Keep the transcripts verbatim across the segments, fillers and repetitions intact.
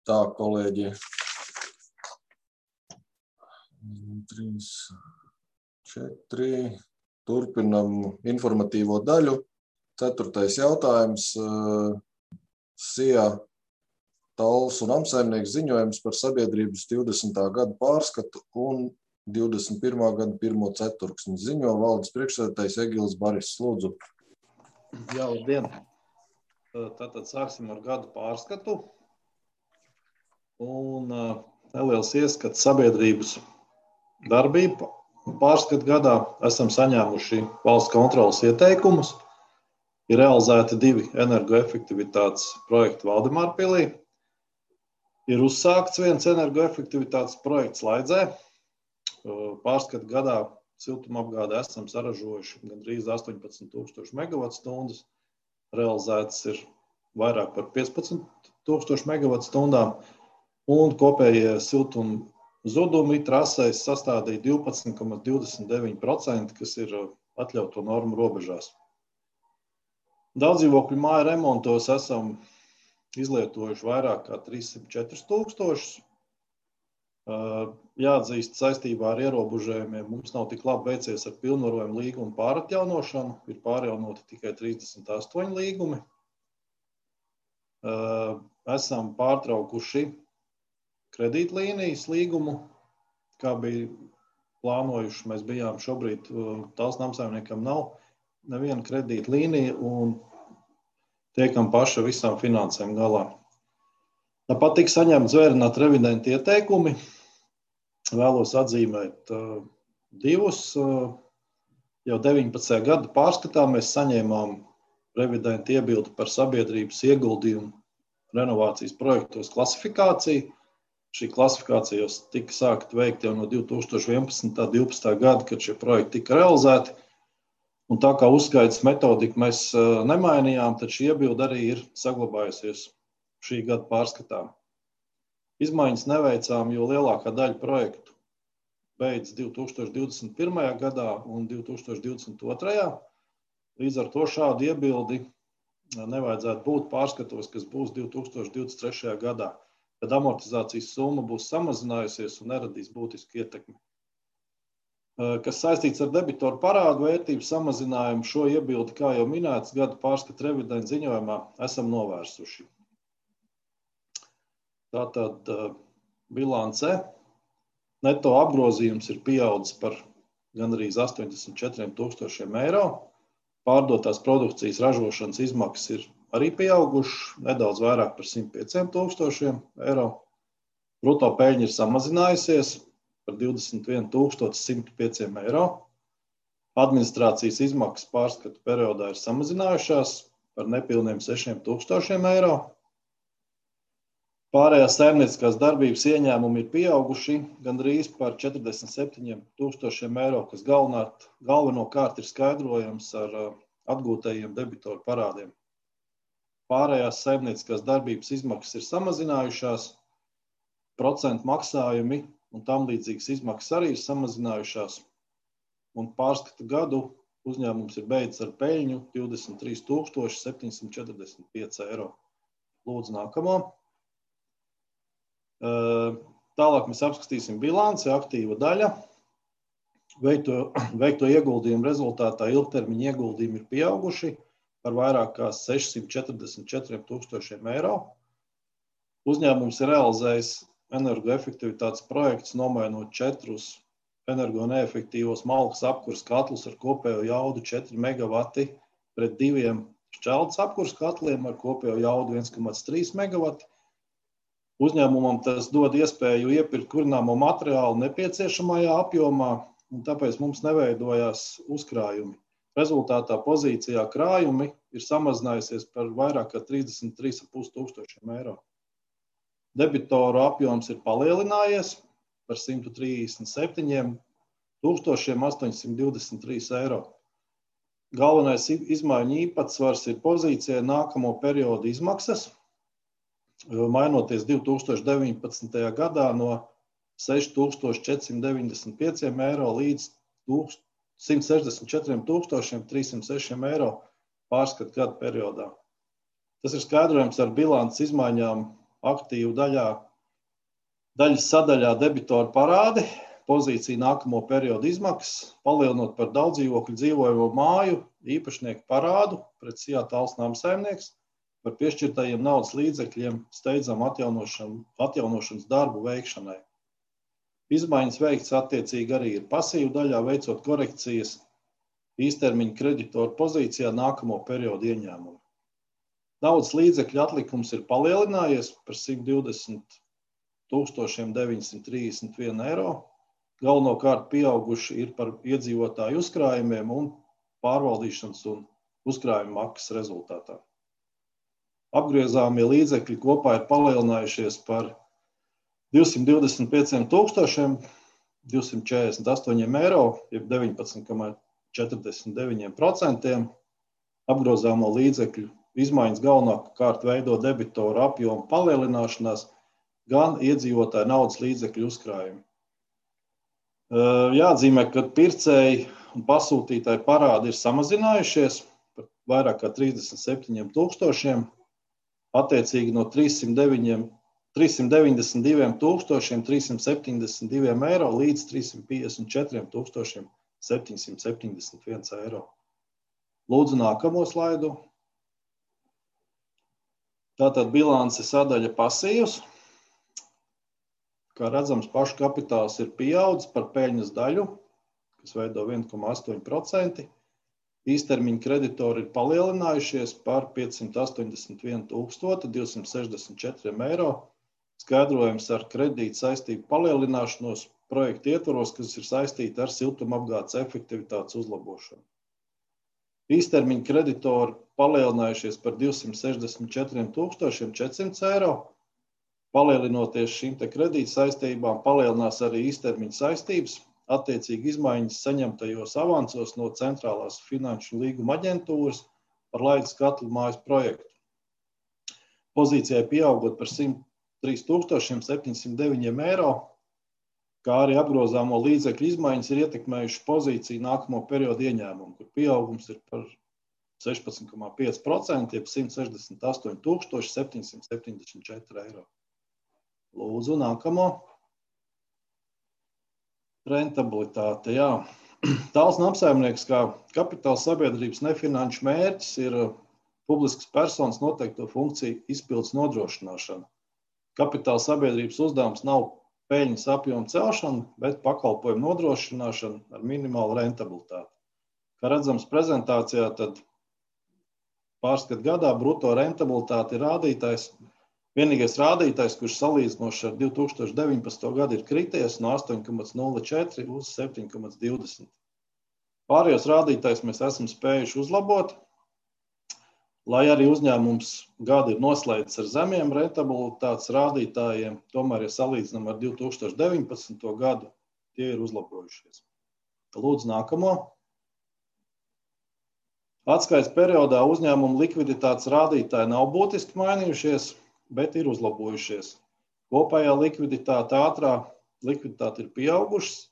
Tā, kolēģi. trīs, četri. Turpinam informatīvo daļu. Ceturtais jautājums. S I A Talls un Amsaimnieks ziņojums par sabiedrības divdesmitā gada pārskatu un divdesmit pirmā gada pirmo ceturksni. Ziņo valdes priekšsēdētājs Egils Baris. Lūdzu. Jā, labdien. Tātad sāksim ar gadu pārskatu. Un neliels ieskats sabiedrības darbību. Pārskatu gadā esam saņēmuši valsts kontrolas ieteikumus. Ir realizēti divi energoefektivitātes projekti Valdemārpilī. Ir uzsākts viens energoefektivitātes projekts Laidzē. Pārskatu gadā siltumapgādē esam saražojuši gandrīz astoņpadsmit tūkstoši megavatstundas. Realizēts ir vairāk par piecpadsmit tūkstoši megavatstundām. Un kopējie siltuma zudumi trasēs sastādīja divpadsmit komats divdesmit deviņi procenti, kas ir atļauto normu robežās. Daudzdzīvokļu māju remontos esam izlietojuši vairāk kā trīssimt četri tūkstošus. Jāatzīst, saistībā ar ierobežojumiem mums nav tik labi veicies ar pilnvarojumu līgumu pāratjaunošanu. Ir pārjaunoti tikai trīsdesmit astoņi līgumi. Esam pārtraukuši kredītlīnijas līgumu, kā bija plānojuši. Mēs bijām šobrīd, Talls un Amsaimniekam nav neviena kredītlīnija un tiekam paši visām finansēm galā. Tāpat tika saņemti zvērināti revidenti ieteikumi. Vēlos atzīmēt uh, divus. Uh, jau deviņpadsmitajā gada pārskatā mēs saņēmām revidentu iebildi par sabiedrības ieguldījumu renovācijas projektos klasifikāciju. Šī klasifikācija jau tika sākta veikt jau no divi tūkstoši vienpadsmitā un divpadsmitā gada, kad šie projekti tika realizēti. Un tā kā uzskaitas metodiku mēs uh, nemainījām, tad šī iebilde arī ir saglabājusies šī gada pārskatā. Izmaiņas neveicām, jo lielākā daļa projektu beidz divi tūkstoši divdesmit pirmajā gadā un divi tūkstoši divdesmit otrajā. Līdz ar to šādu iebildi nevajadzētu būt pārskatos, kas būs divi tūkstoši divdesmit trešajā gadā, kad amortizācijas summa būs samazinājusies un neradīs būtisku ietekmi. Kas saistīts ar debitoru parādu vērtības samazinājumu, šo iebildi, kā jau minēts, gada pārskata revidenta ziņojumā esam novērsuši. Tātad bilance. Neto apgrozījums ir pieaudzis par gandrīz astoņdesmit četriem tūkstošiem eiro. Pārdotās produkcijas ražošanas izmaksas ir arī pieaugušas, nedaudz vairāk par simt pieciem tūkstošiem eiro. Bruto peļņa ir samazinājusies par divdesmit vienu tūkstošu simt pieciem eiro. Administrācijas izmaksas pārskatu periodā ir samazinājušās par nepilniem sešiem tūkstošiem eiro. Pārējās saimnieciskās darbības ieņēmumi ir pieauguši gandrīz par četrdesmit septiņiem tūkstošiem eiro, kas galvenāt, galvenokārt ir skaidrojams ar atgūtajiem debitoru parādiem. Pārējās saimnieciskās darbības izmaksas ir samazinājušās, procentu maksājumi un tam līdzīgas izmaksas arī ir samazinājušās. Un pārskatu gadu uzņēmums ir beidzis ar peļņu divdesmit trīs tūkstoši septiņsimt četrdesmit pieci eiro. Lūdzu, nākamo. Tālāk mēs apskatīsim bilanci, aktīva daļa. Veikto, veikto ieguldījumu rezultātā ilgtermiņa ieguldījumi ir pieauguši par vairāk kā sešsimt četrdesmit četriem tūkstošiem eiro. Uzņēmums ir realizējis energoefektivitātes projekts, nomainot četrus energoneefektīvos malkas apkures katlus ar kopējo jaudu četri megavati pret diviem šķeldes apkures katliem ar kopējo jaudu viens komats trīs megavati. Uzņēmumam tas dod iespēju iepirkt kurināmo materiālu nepieciešamajā apjomā, un tāpēc mums neveidojās uzkrājumi. Rezultātā pozīcijā krājumi ir samazinājusies par vairāk kā trīsdesmit trīs komats pieci tūkstošiem eiro. Debitoru apjoms ir palielinājies par simt trīsdesmit septiņiem tūkstošiem astoņsimt divdesmit trīs eiro. Galvenais izmaiņu īpatsvars ir pozīcijai nākamo periodu izmaksas, mainoties divi tūkstoši deviņpadsmitajā gadā no seši tūkstoši četrsimt deviņdesmit pieciem eiro līdz simt sešdesmit četriem tūkstošiem trīssimt sešiem eiro pārskatu gadu periodā. Tas ir skaidrojams ar bilances izmaiņām aktīvu daļā, daļas sadaļā debitoru parādi, pozīcija nākamo periodu izmaksas, palielinot par daudzdzīvokļu dzīvojamo māju īpašnieku parādu pret S I A Talsu namsaimnieks par piešķirtajiem naudas līdzekļiem steidzam atjaunošanas darbu veikšanai. Izmaiņas veikts attiecīgi arī ir pasīvu daļā, veicot korekcijas īstermiņa kreditoru pozīcijā nākamo periodu ieņēmumu. Naudas līdzekļu atlikums ir palielinājies par simt divdesmit tūkstoši deviņsimt trīsdesmit viens eiro. Galvenokārt pieauguši ir par iedzīvotāju uzkrājumiem un pārvaldīšanas un uzkrājuma maksas rezultātā. Apgriezāmie līdzekļi kopā ir palielinājušies par divsimt divdesmit pieciem tūkstošiem divsimt četrdesmit astoņiem eiro, jeb deviņpadsmit komats četrdesmit deviņi procenti. Apgrozāmo līdzekļu izmaiņas galvenokārt veido debitoru apjomu palielināšanās, gan iedzīvotāju naudas līdzekļu uzkrājumi. Jāatzīmē, ka pircēji un pasūtītāji parādi ir samazinājušies par vairāk kā trīsdesmit septiņiem tūkstošiem, attiecīgi no trīssimt deviņdesmit diviem tūkstošiem trīssimt septiņdesmit diviem eiro līdz trīssimt piecdesmit četriem tūkstošiem septiņsimt septiņdesmit viens eiro. Lūdzu nākamo slaidu. Tātad bilance sadaļa pasīvs. Kā redzams, pašu kapitāls ir pieaudzis par peļņas daļu, kas veido viens komats astoņi procenti. Īstermiņa kreditori ir palielinājušies par piecsimt astoņdesmit viens tūkstoši divsimt sešdesmit četriem eiro. Skaidrojums ar kredīta saistību palielināšanos projekta ietvaros, kas ir saistīti ar siltumapgādes efektivitātes uzlabošanu. Īstermiņa kreditori palielinājušies par divsimt sešdesmit četriem tūkstošiem četrsimt eiro. Palielinoties šīm te kredīta saistībām, palielinās arī īstermiņa saistības, attiecīgi izmaiņas saņemtajos avansos no centrālās finanšu līguma aģentūras par Laidas katlu mājas projektu. Pozīcijai pieaugot par simt trīs tūkstoši septiņsimt deviņi eiro, kā arī apgrozāmo līdzekļu izmaiņas ir ietekmējuši pozīciju nākamo periodu ieņēmumu, kur pieaugums ir par sešpadsmit komats pieci procenti, jeb simt sešdesmit astoņi tūkstoši septiņsimt septiņdesmit četri eiro. Lūdzu, nākamo. Rentabilitāte, jā. Talsu namsaimnieks kā kapitāla sabiedrības nefinanšu mērķis ir publiskas personas noteikto funkciju izpildes nodrošināšana. Kapitāla sabiedrības uzdevums nav peļņas apjoma celšana, bet pakalpojumu nodrošināšana ar minimālu rentabilitāti. Kā redzams prezentācijā, tad pārskat gadā bruto rentabilitāte ir rādītājs. Vienīgais rādītājs, kurš salīdzinoši ar divi tūkstoši deviņpadsmito gadu ir krities no astoņi komats nulle četri uz septiņi komats divdesmit. Pārējos rādītājus mēs esam spējuši uzlabot, lai arī uzņēmums gadu ir noslēdzis ar zemiem rentabilitātes rādītājiem, tomēr, ja salīdzinām ar divi tūkstoši deviņpadsmito gadu, tie ir uzlabojušies. Lūdzu, nākamo. Atskaites periodā uzņēmuma likviditātes rādītāji nav būtiski mainījušies, bet ir uzlabojušies. Kopējā likviditāte ātrā likviditāte ir pieaugušas,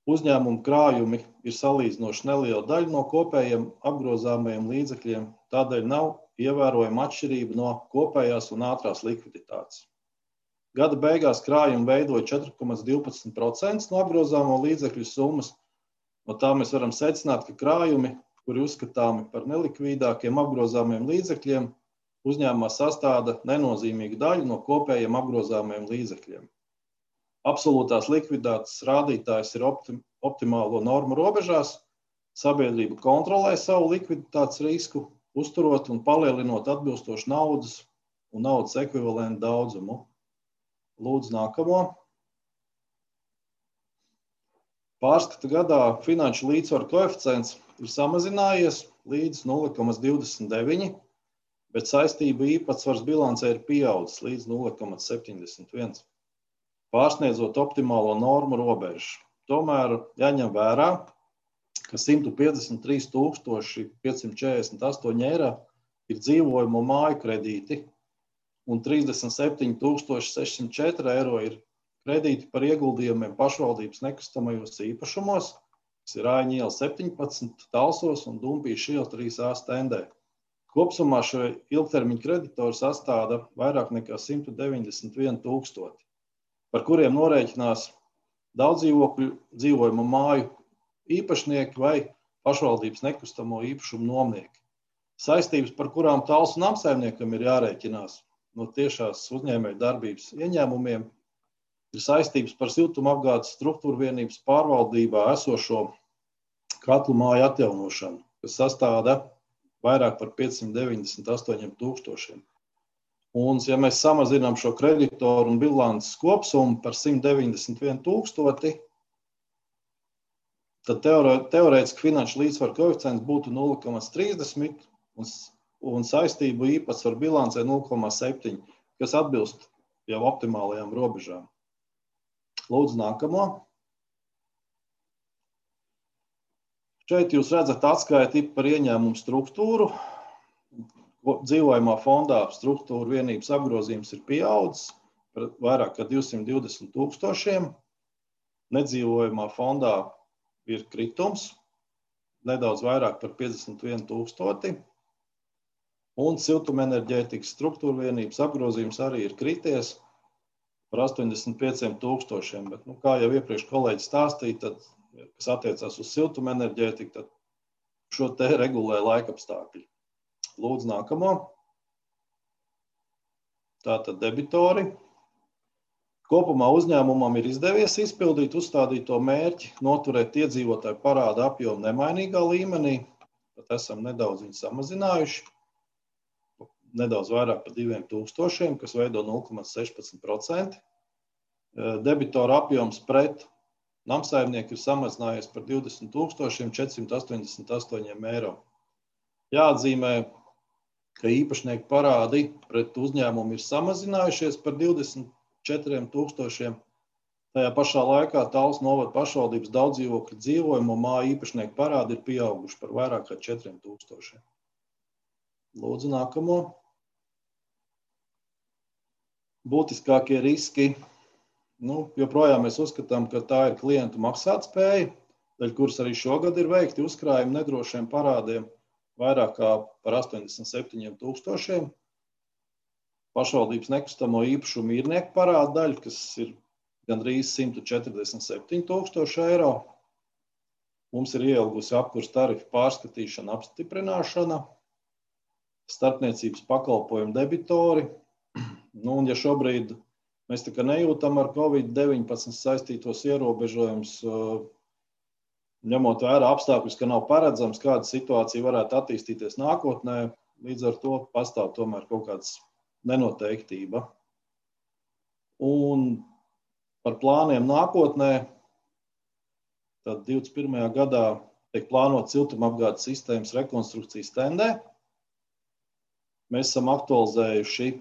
uzņēmuma krājumi ir salīdzinoši neliela daļa no kopējiem apgrozāmajiem līdzekļiem, tādēļ nav ievērojama atšķirība no kopējās un ātrās likviditātes. Gada beigās krājumi veidoja četri komats divpadsmit procenti no apgrozāmo līdzekļu summas, no tā mēs varam secināt, ka krājumi, kuri uzskatāmi par nelikvīdākiem apgrozāmiem līdzekļiem, uzņēmumā sastāda nenozīmīgu daļu no kopējiem apgrozāmajiem līdzekļiem. Absolūtās likviditātes rādītājs ir optim, optimālo normu robežās, sabiedrība kontrolē savu likviditātes risku, uzturot un palielinot atbilstošu naudas un naudas ekvivalentu daudzumu. Lūdzu, nākamo. Pārskata gadā finanšu līdzsvaru koeficients ir samazinājies līdz nulle komats divdesmit deviņi, bet saistību īpatsvars bilancē ir pieaudzis līdz nulle komats septiņdesmit viens, pārsniedzot optimālo normu robežu. Tomēr jāņem vērā, ka simt piecdesmit trīs tūkstoši piecsimt četrdesmit astoņi eiro ir dzīvojamo māju kredīti un trīsdesmit septiņi tūkstoši sešsimt četri eiro ir kredīti par ieguldījumiem pašvaldības nekustamajos īpašumos, kas ir Āņu iela septiņpadsmit, Talsos un Dumpīša iela trīs A stendē, Kopsumā šo ilgtermiņu kreditoru sastāda vairāk nekā simt deviņdesmit viens tūkstoši, par kuriem norēķinās daudz dzīvokļu dzīvojamo māju īpašnieki vai pašvaldības nekustamo īpašumu nomnieki. Saistības, par kurām Talsu namsaimniekam ir jārēķinās no tiešās uzņēmēju darbības ieņēmumiem, ir saistības par siltumapgādes struktūru vienības pārvaldībā esošo katlu māju atjaunošanu, kas sastāda vairāk par piecsimt deviņdesmit astoņiem tūkstošiem. Un, ja mēs samazinām šo kreditoru un bilances kopsumu par simt deviņdesmit viens tūkstoti, tad teorētiski finanšu līdzsvaru koeficients būtu nulle komats trīsdesmit un, un saistību īpatsvaru bilancē nulle komats septiņi, kas atbilst jau optimālajām robežām. Lūdzu, nākamo. Šeit jūs redzat atskaiti par ieņēmumu struktūru. Dzīvojamā fondā struktūra vienības apgrozījums ir pieaudzis par vairāk kā divsimt divdesmit tūkstošiem. Nedzīvojamā fondā ir kritums, nedaudz vairāk par piecdesmit viens tūkstoti. Un siltumenerģētikas struktūra vienības apgrozījums arī ir krities par astoņdesmit pieciem tūkstošiem. Bet, nu, kā jau iepriekš kolēģi stāstīja, tad, kas attiecās uz siltumenerģētiku, tad šo te regulē laikapstākļi. Lūdzu, nākamo. Tātad debitori. Kopumā uzņēmumam ir izdevies izpildīt uzstādīto mērķi, noturēt iedzīvotāju parāda apjomu nemainīgā līmenī, pat esam nedaudz viņu samazinājuši, nedaudz vairāk par diviem tūkstošiem, kas veido nulle komats sešpadsmit procenti. Debitora apjoms pret namsaimnieku ir samazinājies par divdesmit tūkstošiem četrsimt astoņdesmit astoņiem eiro. Jāatzīmē, ka īpašnieku parādi pret uzņēmumu ir samazinājušies par divdesmit četriem tūkstošiem. Tajā pašā laikā Talsu novada pašvaldības daudzdzīvokļu dzīvojamo māju īpašnieku parādi ir pieauguši par vairāk kā četriem tūkstošiem. Lūdzu, nākamo. Būtiskākie riski. Nu, joprojām mēs uzskatām, ka tā ir klientu maksātspēja, daļ kuras arī šogad ir veikti uzkrājumi nedrošiem parādiem vairāk kā par astoņdesmit septiņiem tūkstošiem. Pašvaldības nekustamo īpašumu īrnieku parāda daļa, kas ir gandrīz simt četrdesmit septiņi tūkstoši eiro. Mums ir ieilgusi apkurs tarifu pārskatīšana, apstiprināšana, starpniecības pakalpojumu debitori. Nu, un ja šobrīd mēs tā kā nejūtam ar covid deviņpadsmit saistītos ierobežojumus, ņemot vērā apstākļus, ka nav paredzams, kāda situācija varētu attīstīties nākotnē, līdz ar to pastāv tomēr kaut kāds nenoteiktība. Un par plāniem nākotnē, tad divdesmit pirmajā gadā tiek plānot siltumapgādes sistēmas rekonstrukcijas tendē. Mēs esam aktualizējuši,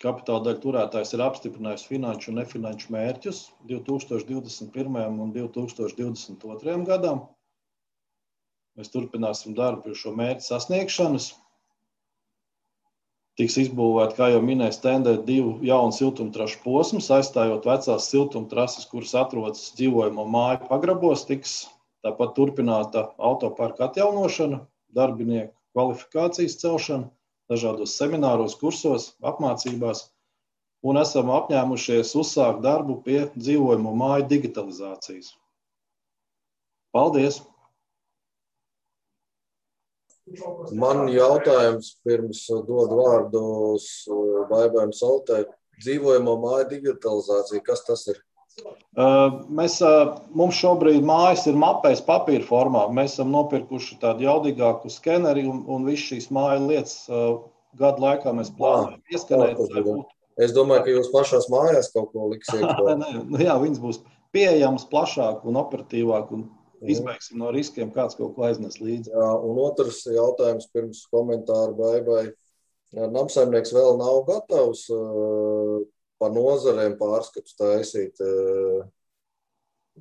kapitāla daļu turētājs ir apstiprinājis finanšu un nefinanšu mērķus divi tūkstoši divdesmit pirmajam un divi tūkstoši divdesmit otrajam gadam. Mēs turpināsim darbu pie šo mērķu sasniegšanas. Tiks izbūvēti, kā jau minēju, tendē divu jaunu siltumtrašu posmus, aizstājot vecās siltumtrases, kuras atrodas dzīvojamo māju pagrabos, tiks tāpat turpināta autoparka atjaunošana, darbinieku kvalifikācijas celšana, dažādos semināros, kursos, apmācībās, un esam apņēmušies uzsākt darbu pie dzīvojamo māju digitalizācijas. Paldies! Man jautājums pirms dod vārdu Baibai un Soltei. Dzīvojamo māju digitalizācija, kas tas ir? Mēs, mums šobrīd mājas ir mapēs papīra formā. Mēs esam nopirkuši tādu jaudīgāku skeneri un, un visu šīs māju lietas gadu laikā mēs plānojam ieskanēt. Es domāju, ka jūs pašās mājās kaut ko liksiet. Jā, viņas būs pieejamas plašāk un operatīvāk un izbeigsim no riskiem, kāds kaut ko aiznes līdzi. Jā, un otrs jautājums pirms komentāru Baibai. Namsaimnieks vēl nav gatavs uh, par nozarēm pārskatu taisīt, uh,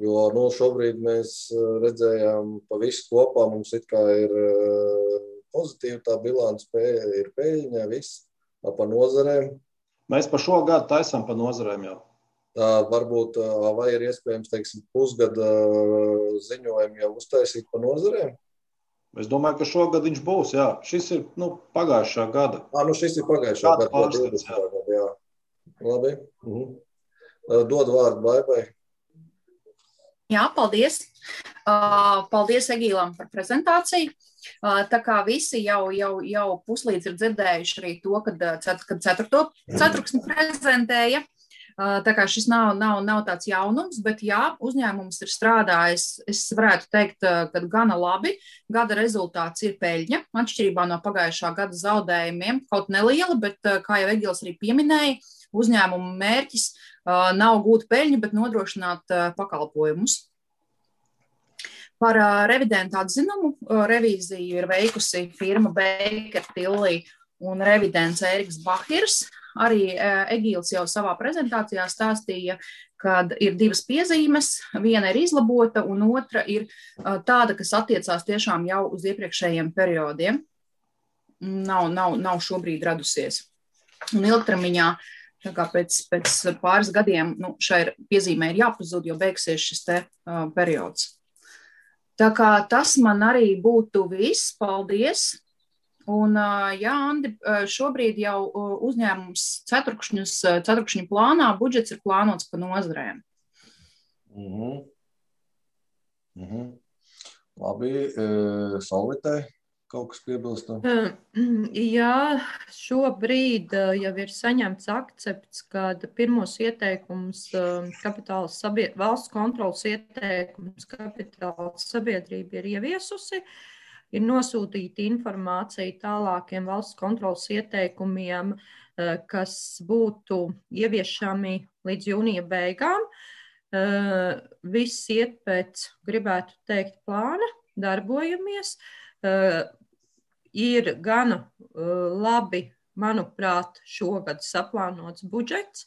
jo nu, šobrīd mēs redzējām pa visu kopā, mums it kā ir uh, pozitīva tā bilance, ir peļņa, viss par nozarēm. Mēs pa šo gadu taisam pa nozarēm jau. Tā varbūt, vai ir iespējams, teiksim, pusgada ziņojumi jau uztaisīt pa nozarēm? Es domāju, ka šogad viņš būs, jā. Šis ir, nu, pagājušā gada. Ā, nu šis ir pagājušā Gada gada, pārskats, jā. divdesmitā gada, jā. Labi. Mhm. Dod vārdu Baibai. Jā, paldies. Uh, paldies Egīlam par prezentāciju. Uh, tā kā visi jau, jau, jau puslīdz ir dzirdējuši arī to, kad, kad ceturto ceturksni prezentēja. Uh, tā kā šis nav, nav, nav tāds jaunums, bet jā, uzņēmums ir strādājis, es varētu teikt, ka gana labi. Gada rezultāts ir peļņa, atšķirībā no pagājušā gada zaudējumiem, kaut neliela, bet, kā jau Egils arī pieminēja, uzņēmuma mērķis uh, nav gūt peļņu, bet nodrošināt uh, pakalpojumus. Par uh, revidentu atzinumu uh, revīziju ir veikusi firma Baker Tilly un revidents Ēriks Bahirs. Arī uh, Egīls jau savā prezentācijā stāstīja, kad ir divas piezīmes, viena ir izlabota un otra ir uh, tāda, kas attiecās tiešām jau uz iepriekšējiem periodiem. Nav, nav, nav šobrīd radusies. Un ilgtermiņā Tā kā pēc, pēc pāris gadiem nu, šai piezīmē ir jāpazūd, jo beigsies šis te uh, periods. Tā kā tas man arī būtu viss. Paldies! Un, uh, jā, Andi, šobrīd jau uh, uzņēmums ceturkšņus, ceturkšņu plānā budžets ir plānots pa nozarēm. Mhm. Mhm. Labi, uh, Solvitē. Kaut kas piebilstam? Jā, šobrīd jau ir saņemts akcepts, kad pirmos ieteikumus kapitāla sabied... valsts kontrolas ieteikumus kapitāla sabiedrība ir ieviesusi, ir nosūtīta informācija tālākiem valsts kontrolas ieteikumiem, kas būtu ieviešami līdz jūnija beigām. Viss iet pēc, gribētu teikt, plāna, darbojamies. Ir gana uh, labi, manuprāt, šogad saplānots budžets.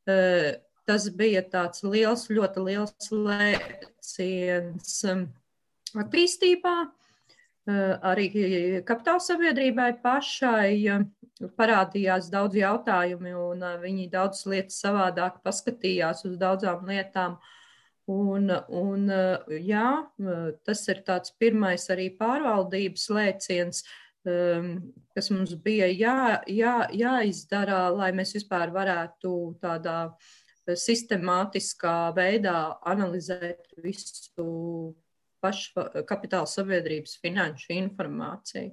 Uh, tas bija tāds liels, ļoti liels lēciens um, attīstībā. Uh, arī kapitāla sabiedrībai pašai uh, parādījās daudz jautājumi, un uh, viņi daudz lietas savādāk paskatījās uz daudzām lietām. Un, un, jā, tas ir tāds pirmais arī pārvaldības lēciens, kas mums bija jā, jā, jāizdara, lai mēs vispār varētu tādā sistemātiskā veidā analizēt visu pašu kapitāla sabiedrības finanšu informāciju.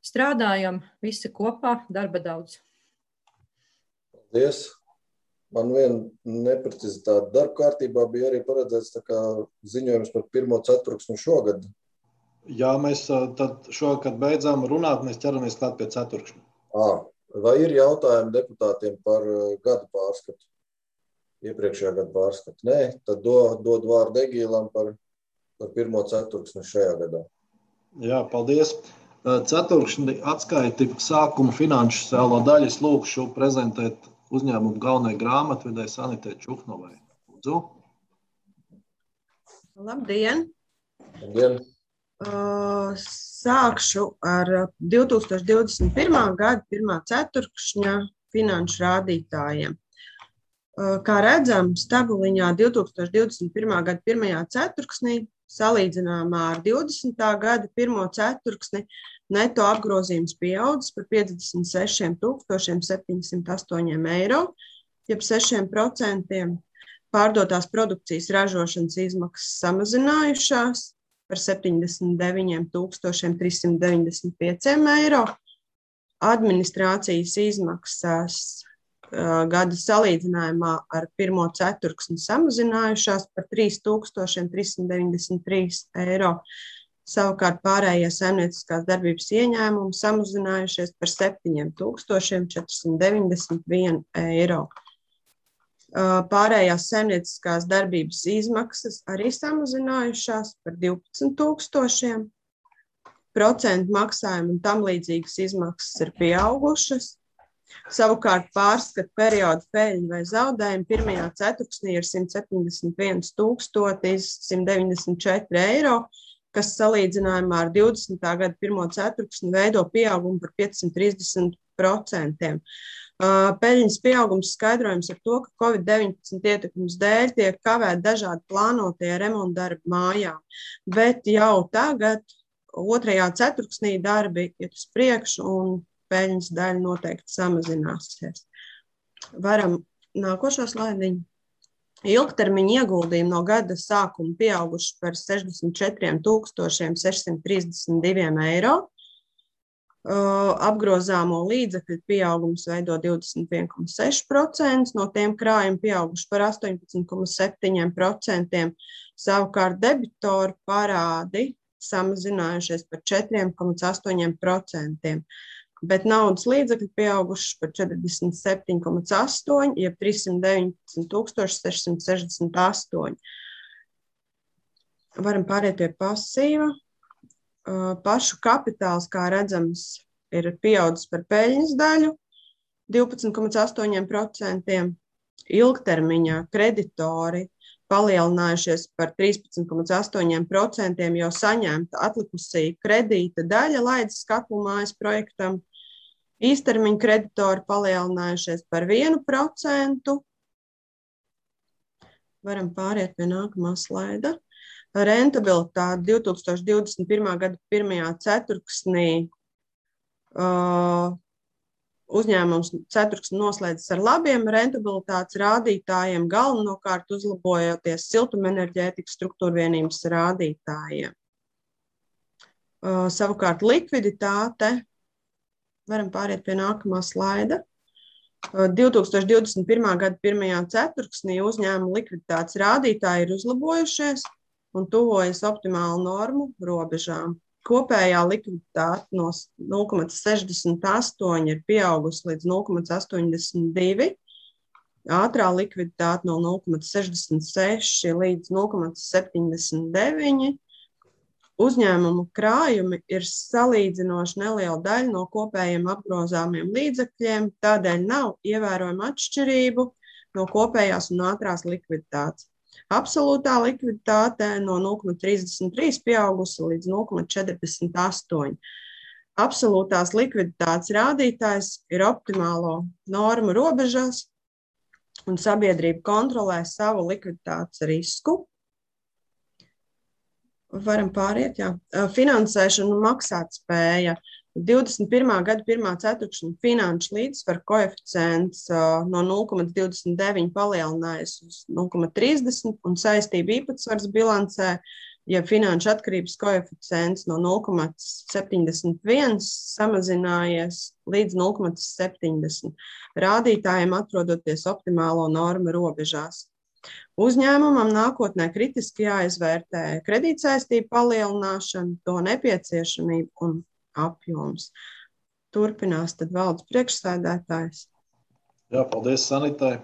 Strādājam visi kopā, darba daudz. Paldies! Man viena neprecizitāte darba kārtībā bija arī paredzēts tā kā ziņojums par pirmo ceturksni šogad. Jā, mēs tad šogad, kad beidzām runāt, mēs ķeramies klāt pie ceturkšņa. À, vai ir jautājumi deputātiem par gada pārskatu? Iepriekšējā gada pārskatu? Nē, tad dod, dod vārdu Egīlam par, par pirmo ceturksni šajā gadā. Jā, paldies. Ceturkšņi atskaiti sākuma finanšu sēlo daļas lūkšu prezentēt uzņēmumu galvenai grāmatvedai Sanitē Čuhnovai. Lūdzu. Labdien! Labdien! Uh, sākšu ar divi tūkstoši divdesmit pirmā gada pirmā ceturkšņa finanšu rādītājiem. Uh, kā redzams, tabuliņā divi tūkstoši divdesmit pirmā gada pirmajā ceturksnī salīdzinājumā ar divdesmitā gada pirmo ceturksni neto apgrozījums pieaudzis par piecdesmit sešiem tūkstošiem septiņsimt astoņiem eiro, jeb sešiem procentiem. Pārdotās produkcijas ražošanas izmaksas samazinājušās par septiņdesmit deviņiem tūkstošiem trīssimt deviņdesmit pieciem eiro. Administrācijas izmaksas uh, gada salīdzinājumā ar pirmo ceturksni samazinājušās par trīs tūkstošiem trīssimt deviņdesmit trīs eiro. Savukārt pārējie saimnieciskās darbības ieņēmumi samazinājušies par septiņiem tūkstošiem četrsimt deviņdesmit vienu eiro. Pārējās saimnieciskās darbības izmaksas arī samazinājušās par divpadsmit tūkstošiem. Procentu maksājumu un tam līdzīgas izmaksas ir pieaugušas. Savukārt pārskata perioda peļņa vai zaudējumi pirmajā ceturksnī ir simt septiņdesmit viens tūkstotis simt deviņdesmit četri eiro, kas salīdzinājumā ar divdesmitā gada pirmo ceturksni veido pieaugumu par piecsimt trīsdesmit procentiem. Peļņas pieaugums skaidrojums ar to, ka covid deviņpadsmit ietekmes dēļ tiek kavēti dažādi plānotie remontdarbi mājām, bet jau tagad otrajā ceturksnī darbi iet uz priekšu un peļņas daļa noteikti samazināsies. Varam nākošo slaidiņu. Ilgtermiņa ieguldījumi no gada sākuma pieauguši par sešdesmit četriem tūkstošiem sešsimt trīsdesmit diviem eiro. Apgrozāmo līdzekļu pieaugums veido divdesmit viens komats seši procenti, no tiem krājumi pieauguši par astoņpadsmit komats septiņi procenti, savukārt debitoru parādi samazinājušies par četri komats astoņi procenti, bet naudas līdzekļi pieauguši par četrdesmit septiņi komats astoņi, jeb trīssimt deviņpadsmit tūkstoši sešsimt sešdesmit astoņi. Varam pāriet pie pasīva. Pašu kapitāls, kā redzams, ir pieaudzis par peļņas daļu divpadsmit komats astoņi procenti, ilgtermiņā kreditori palielinājušies par trīspadsmit komats astoņi procenti, jo saņemta atlikusī kredīta daļa laidas Katlumājas projektam, īstermiņa kreditori palielinājušies par vienu procentu. Varam pāriet pie nākamā slaida. Rentabilitāte divi tūkstoši divdesmit pirmā gada pirmajā ceturksnī uh, uzņēmums ceturksni noslēdzas ar labiem rentabilitātes rādītājiem, galvenokārt uzlabojoties siltumenerģētikas struktūrvienības rādītājiem. Uh, savukārt likviditāte, varam pāriet pie nākamā slaida. Uh, divi tūkstoši divdesmit pirmā gada pirmajā ceturksnī uzņēmuma likviditātes rādītāji ir uzlabojušies un tuvojas optimālu normu robežām. Kopējā likviditāte no nulle komats sešdesmit astoņi ir pieaugusi līdz nulle komats astoņdesmit divi, ātrā likviditāte no nulle komats sešdesmit seši līdz nulle komats septiņdesmit deviņi. Uzņēmumu krājumi ir salīdzinoši neliela daļa no kopējiem apgrozāmiem līdzekļiem, tādēļ nav ievērojama atšķirību no kopējās un ātrās likviditātes. Absolūtā likviditāte no nulle komats trīsdesmit trīs pieaugusi līdz nulle komats četrdesmit astoņi. Absolūtās likviditātes rādītājs ir optimālo normu robežās un sabiedrība kontrolē savu likviditātes risku. Varam pāriet, jā. Finansēšana un maksātspēja. divdesmit pirmā gada pirmā ceturkšņa finanšu līdzsvaru koeficients no nulle komats divdesmit deviņi palielinājies uz nulle komats trīsdesmit un saistību īpatsvars bilancē, ja finanšu atkarības koeficients no nulle komats septiņdesmit viens samazinājies līdz nulle komats septiņdesmit, rādītājiem atrodoties optimālo normu robežās. Uzņēmumam nākotnē kritiski jāizvērtē kredītsaistību palielināšanu, to nepieciešamību un apjoms. Turpinās tad valdes priekšsēdētājs. Jā, paldies Sanitai.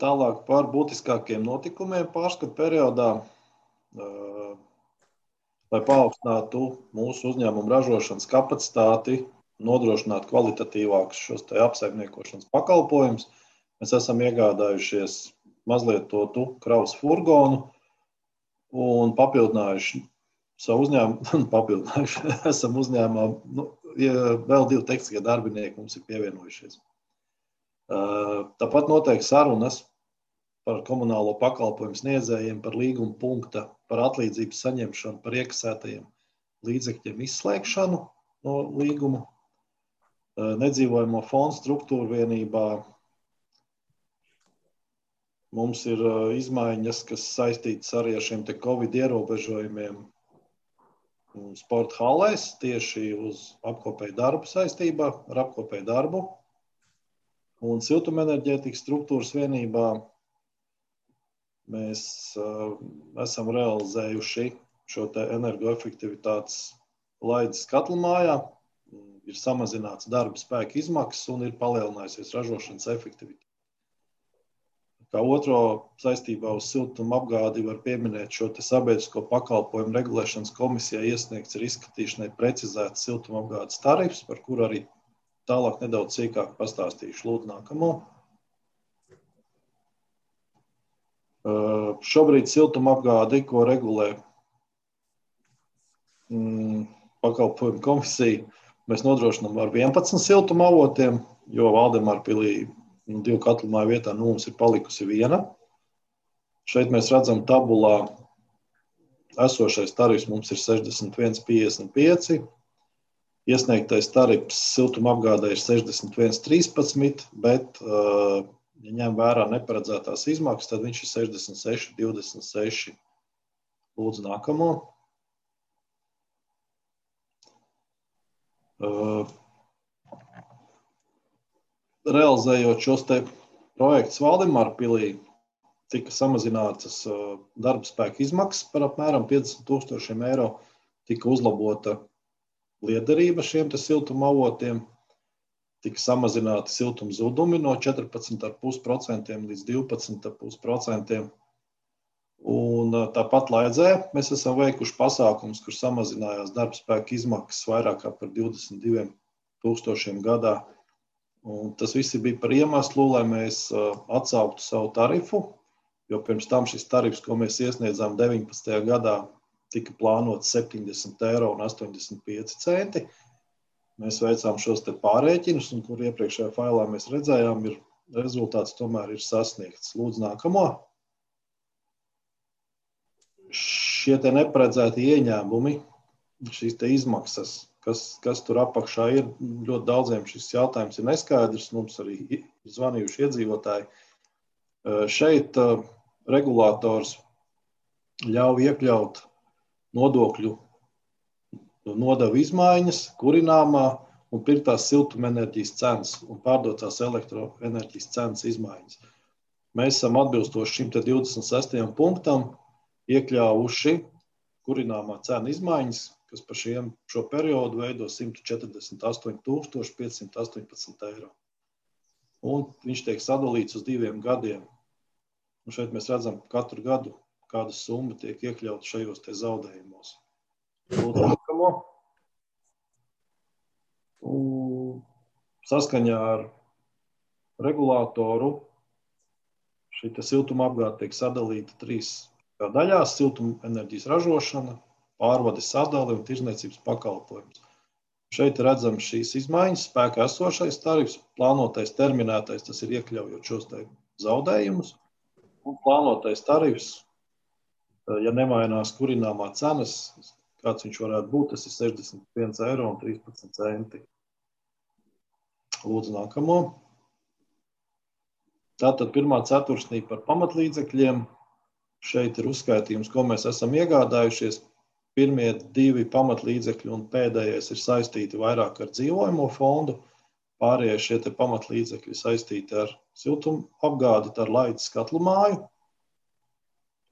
Tālāk par būtiskākiem notikumiem pārskatu periodā, lai paaugstinātu mūsu uzņēmumu ražošanas kapacitāti, nodrošinātu kvalitatīvākus šos te apsaimniekošanas pakalpojumus. Mēs esam iegādājušies mazlietotu kravas furgonu un papildinājuši savu uzņēmumu, papildinājuši, esam uzņēmumā, nu, vēl divi tekstiskie darbinieki mums ir pievienojušies. Tāpat notiek sarunas par komunālo pakalpojumu sniedzējiem, par līguma punkta, par atlīdzības saņemšanu, par iekasētajiem līdzekļiem izslēgšanu no līguma, nedzīvojamo fondu struktūru vienībā. Mums ir izmaiņas, kas saistītas arī ar šiem te Covid ierobežojumiem sporta halēs, tieši uz apkopēju darbu saistībā, ar apkopēju darbu. Un siltumenerģētikas struktūras vienībā mēs uh, esam realizējuši šo te energoefektivitātes laides Katlumājā, ir samazināts darba spēka izmaksas un ir palielinājusies ražošanas efektivitāte. Kā otro saistībā uz siltumu apgādi var pieminēt šo te sabiedrisko pakalpojumu regulēšanas komisijā iesniegts ir izskatīšanai precizēts siltumu apgādes tarifs, par kuru arī tālāk nedaudz sīkāk pastāstīšu. Lūdzu nākamo. Uh, šobrīd siltumu apgādi, ko regulē mm, pakalpojumu komisija, mēs nodrošinām ar vienpadsmit siltumu avotiem, jo Valdemārpilī nu, divu Katlumāju vietā nu, mums ir palikusi viena. Šeit mēs redzam tabulā esošais tarifs mums ir sešdesmit viens piecdesmit pieci, iesniegtais tarifs siltumapgādē ir sešdesmit viens trīspadsmit, bet, ja ņem vērā neparedzētās izmaksas, tad viņš ir sešdesmit seši divdesmit seši. Lūdzu, nākamo. Realizējot šos te projektus Valdemārpilī, tika samazinātas darba spēka izmaksas par apmēram piecdesmit tūkstošiem eiro, tika uzlabota liederība šiem te siltuma avotiem, tika samazināti siltuma zudumi no četrpadsmit celsius pieci procenti līdz divpadsmit celsius pieci procenti. Un tāpat Laidzē mēs esam veikuši pasākums, kur samazinājās darba spēka izmaksas vairāk kā par divdesmit diviem tūkstošiem gadā. Un tas visi bija par iemeslu, lai mēs atsauktu savu tarifu, jo pirms tam šis tarifs, ko mēs iesniedzām deviņpadsmitajā gadā, tika plānots septiņdesmit eiro un astoņdesmit pieci centi. Mēs veicām šos te pārēķinus, un kur iepriekšējā failā mēs redzējām, ir rezultāts tomēr ir sasniegts. Lūdzu, nākamo. Šie te neparedzēti ieņēmumi, šīs te izmaksas, kas, kas tur apakšā ir, ļoti daudziem šis jautājums ir neskaidrs, mums arī ir zvanījuši iedzīvotāji. Šeit regulators ļauj iekļaut nodokļu nodevu izmaiņas, kurināmā un pirktās siltumenerģijas cenas un pārdotās elektroenerģijas cenas izmaiņas. Mēs esam atbilstoši šim te divdesmit sestajam punktam iekļāvuši kurināmā cena izmaiņas, kas par šiem, šo periodu veido simt četrdesmit astoņi tūkstoši piecsimt astoņpadsmit eiro. Un viņš tiek sadalīts uz diviem gadiem. Un šeit mēs redzam katru gadu, kāda summa tiek iekļauta šajos te zaudējumos. Lūdzu, nākamo. Saskaņā ar regulātoru šī te siltuma apgāde tiek sadalīta trīs daļās - siltumenerģijas ražošana, pārvades sadale un tirdzniecības pakalpojums. Šeit redzam šīs izmaiņas, spēkā esošais tarifs, plānotais terminētais, tas ir iekļaujot šos te zaudējumus, un plānotais tarifs, ja nemainās kurināmā cenas, kāds viņš varētu būt, tas ir sešdesmit viens eiro un trīspadsmit centi. Lūdzu, nākamo. Tātad pirmā ceturksnī par pamatlīdzekļiem. Šeit ir uzskaitījums, ko mēs esam iegādājušies. Pirmie divi pamatlīdzekļi un pēdējais ir saistīti vairāk ar dzīvojamo fondu. Pārējie šie te pamatlīdzekļi saistīti ar siltumu apgādi, ar Laidzes katlu māju.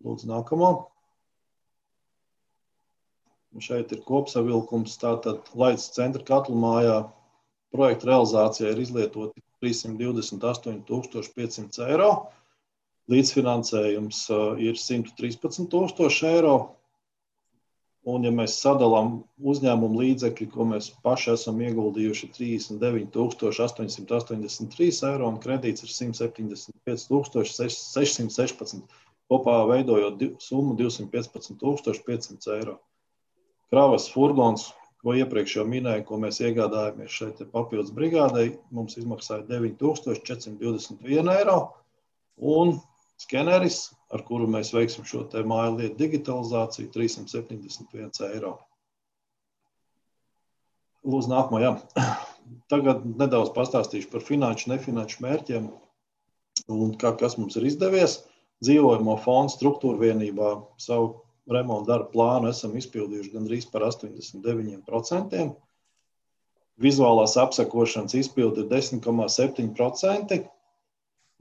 Lūdzu, nākamo. Un šeit ir kopsavilkums. Tātad Laidzes centra katlu mājā projekta realizācijā ir izlietoti trīssimt divdesmit astoņi tūkstoši piecsimt eiro. Līdzfinansējums ir simt trīspadsmit tūkstoši eiro. Un, ja mēs sadalām uzņēmumu līdzekļi, ko mēs paši esam ieguldījuši, trīsdesmit deviņi tūkstoši astoņsimt astoņdesmit trīs eiro un kredīts ir simt septiņdesmit pieci tūkstoši sešsimt sešpadsmit, kopā veidojot summu divsimt piecpadsmit tūkstoši piecsimt eiro. Kravas furgons, ko iepriekš jau minēju, ko mēs iegādājamies šeit papildus brigādei, mums izmaksāja deviņi tūkstoši četrsimt divdesmit viens eiro. Un skeneris, ar kuru mēs veiksim šo te māju lietu digitalizāciju, trīssimt septiņdesmit viens eiro. Lūdzu, nākamo, jā. Tagad nedaudz pastāstīšu par finanšu, nefinanšu mērķiem un kā, kas mums ir izdevies. Dzīvojamo fondu struktūra vienībā savu remontu darbu plānu esam izpildījuši gandrīz par astoņdesmit deviņi procenti. Vizuālās apsekošanas izpildi ir desmit komā septiņi procenti.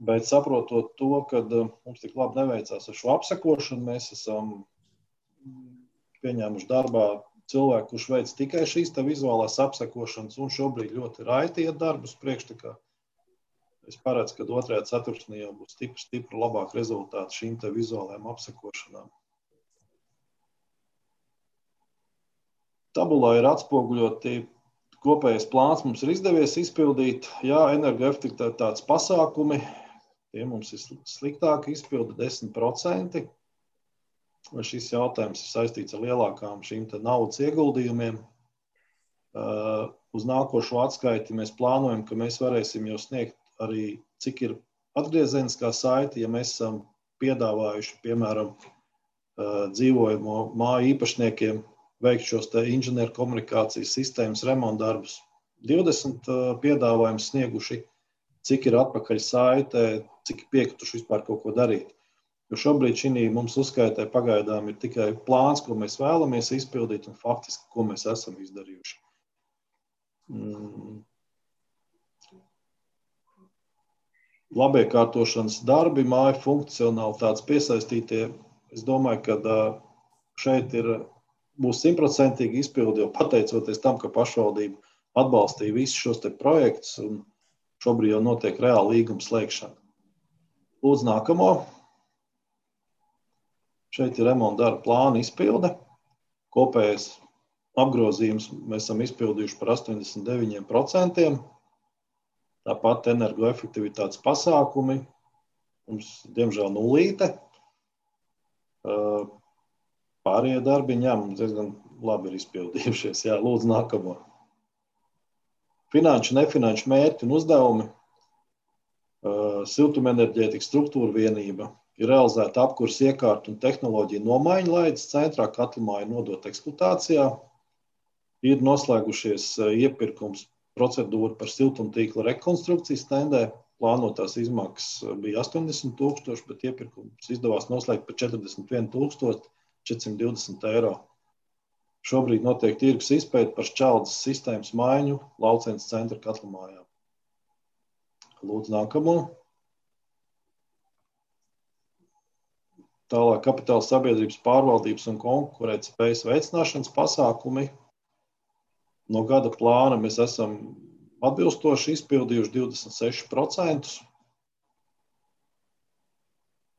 Bet saprotot to, ka mums tik labi neveicās ar šo apsekošanu, mēs esam pieņēmuši darbā cilvēku, kurš veic tikai šīs te vizuālās apsekošanas un šobrīd ļoti raiti iet darbus priekš. Es paredzu, ka otrajā ceturksnī jau būs stipri, stipri labāk rezultāti šīm te vizuālajām apsekošanām. Tabulā ir atspoguļoti kopējais plāns, mums ir izdevies izpildīt. Jā, energoefektivitātes pasākumi. Tie mums ir sliktāki izpildi desmit procenti. Šis jautājums ir saistīts ar lielākām šīm te naudas ieguldījumiem. Uh, uz nākošo atskaiti mēs plānojam, ka mēs varēsim jau sniegt arī, cik ir atgriezeniskā saite, ja mēs esam piedāvājuši, piemēram, dzīvojamo māju īpašniekiem veikt šos te inženieru komunikācijas sistēmas remontdarbus. divdesmit piedāvājums snieguši, cik ir atpakaļ saitē, cik piekrituši vispār kaut ko darīt. Jo šobrīd šī mums uzskaitē pagaidām ir tikai plāns, ko mēs vēlamies izpildīt un faktiski, ko mēs esam izdarījuši. Mm. Labiekārtošanas darbi, māju funkcionalitātes piesaistītie. Es domāju, ka šeit ir, būs simtprocentīgi izpildi, jo pateicoties tam, ka pašvaldība atbalstīja visus šos te projektus un šobrīd jau notiek reāla līguma slēgšana. Lūdzu nākamo. Šeit ir remonta darba plāna izpilde. Kopējais apgrozījums mēs esam izpildījuši par astoņdesmit deviņi procenti. Tāpat energoefektivitātes pasākumi. Mums, diemžēl, nulīte. Pārējie darbiņi, jā, mums diezgan labi ir izpildījušies. Jā, lūdzu nākamo. Finanšu, nefinanšu mērķi un uzdevumi. Siltumenerģētikas struktūra vienība. Ir realizēta apkurs iekārtu un tehnoloģiju nomaiņa laidas centrā, katlamāja nodot eksploatācijā. Ir noslēgušies iepirkums procedūra par siltumtīkla rekonstrukciju stendē. Plānotās izmaksas bija astoņdesmit tūkstoši, bet iepirkums izdevās noslēgt par četrdesmit viens tūkstoši četrsimt divdesmit eiro. Šobrīd notiek tirgus izpēte par šķeldes sistēmas maiņu Laucenes centra katlamājā. Lūdzu nākamo. Tālāk kapitāla sabiedrības pārvaldības un konkurētspējas veicināšanas pasākumi. No gada plāna mēs esam atbilstoši izpildījuši divdesmit seši procenti.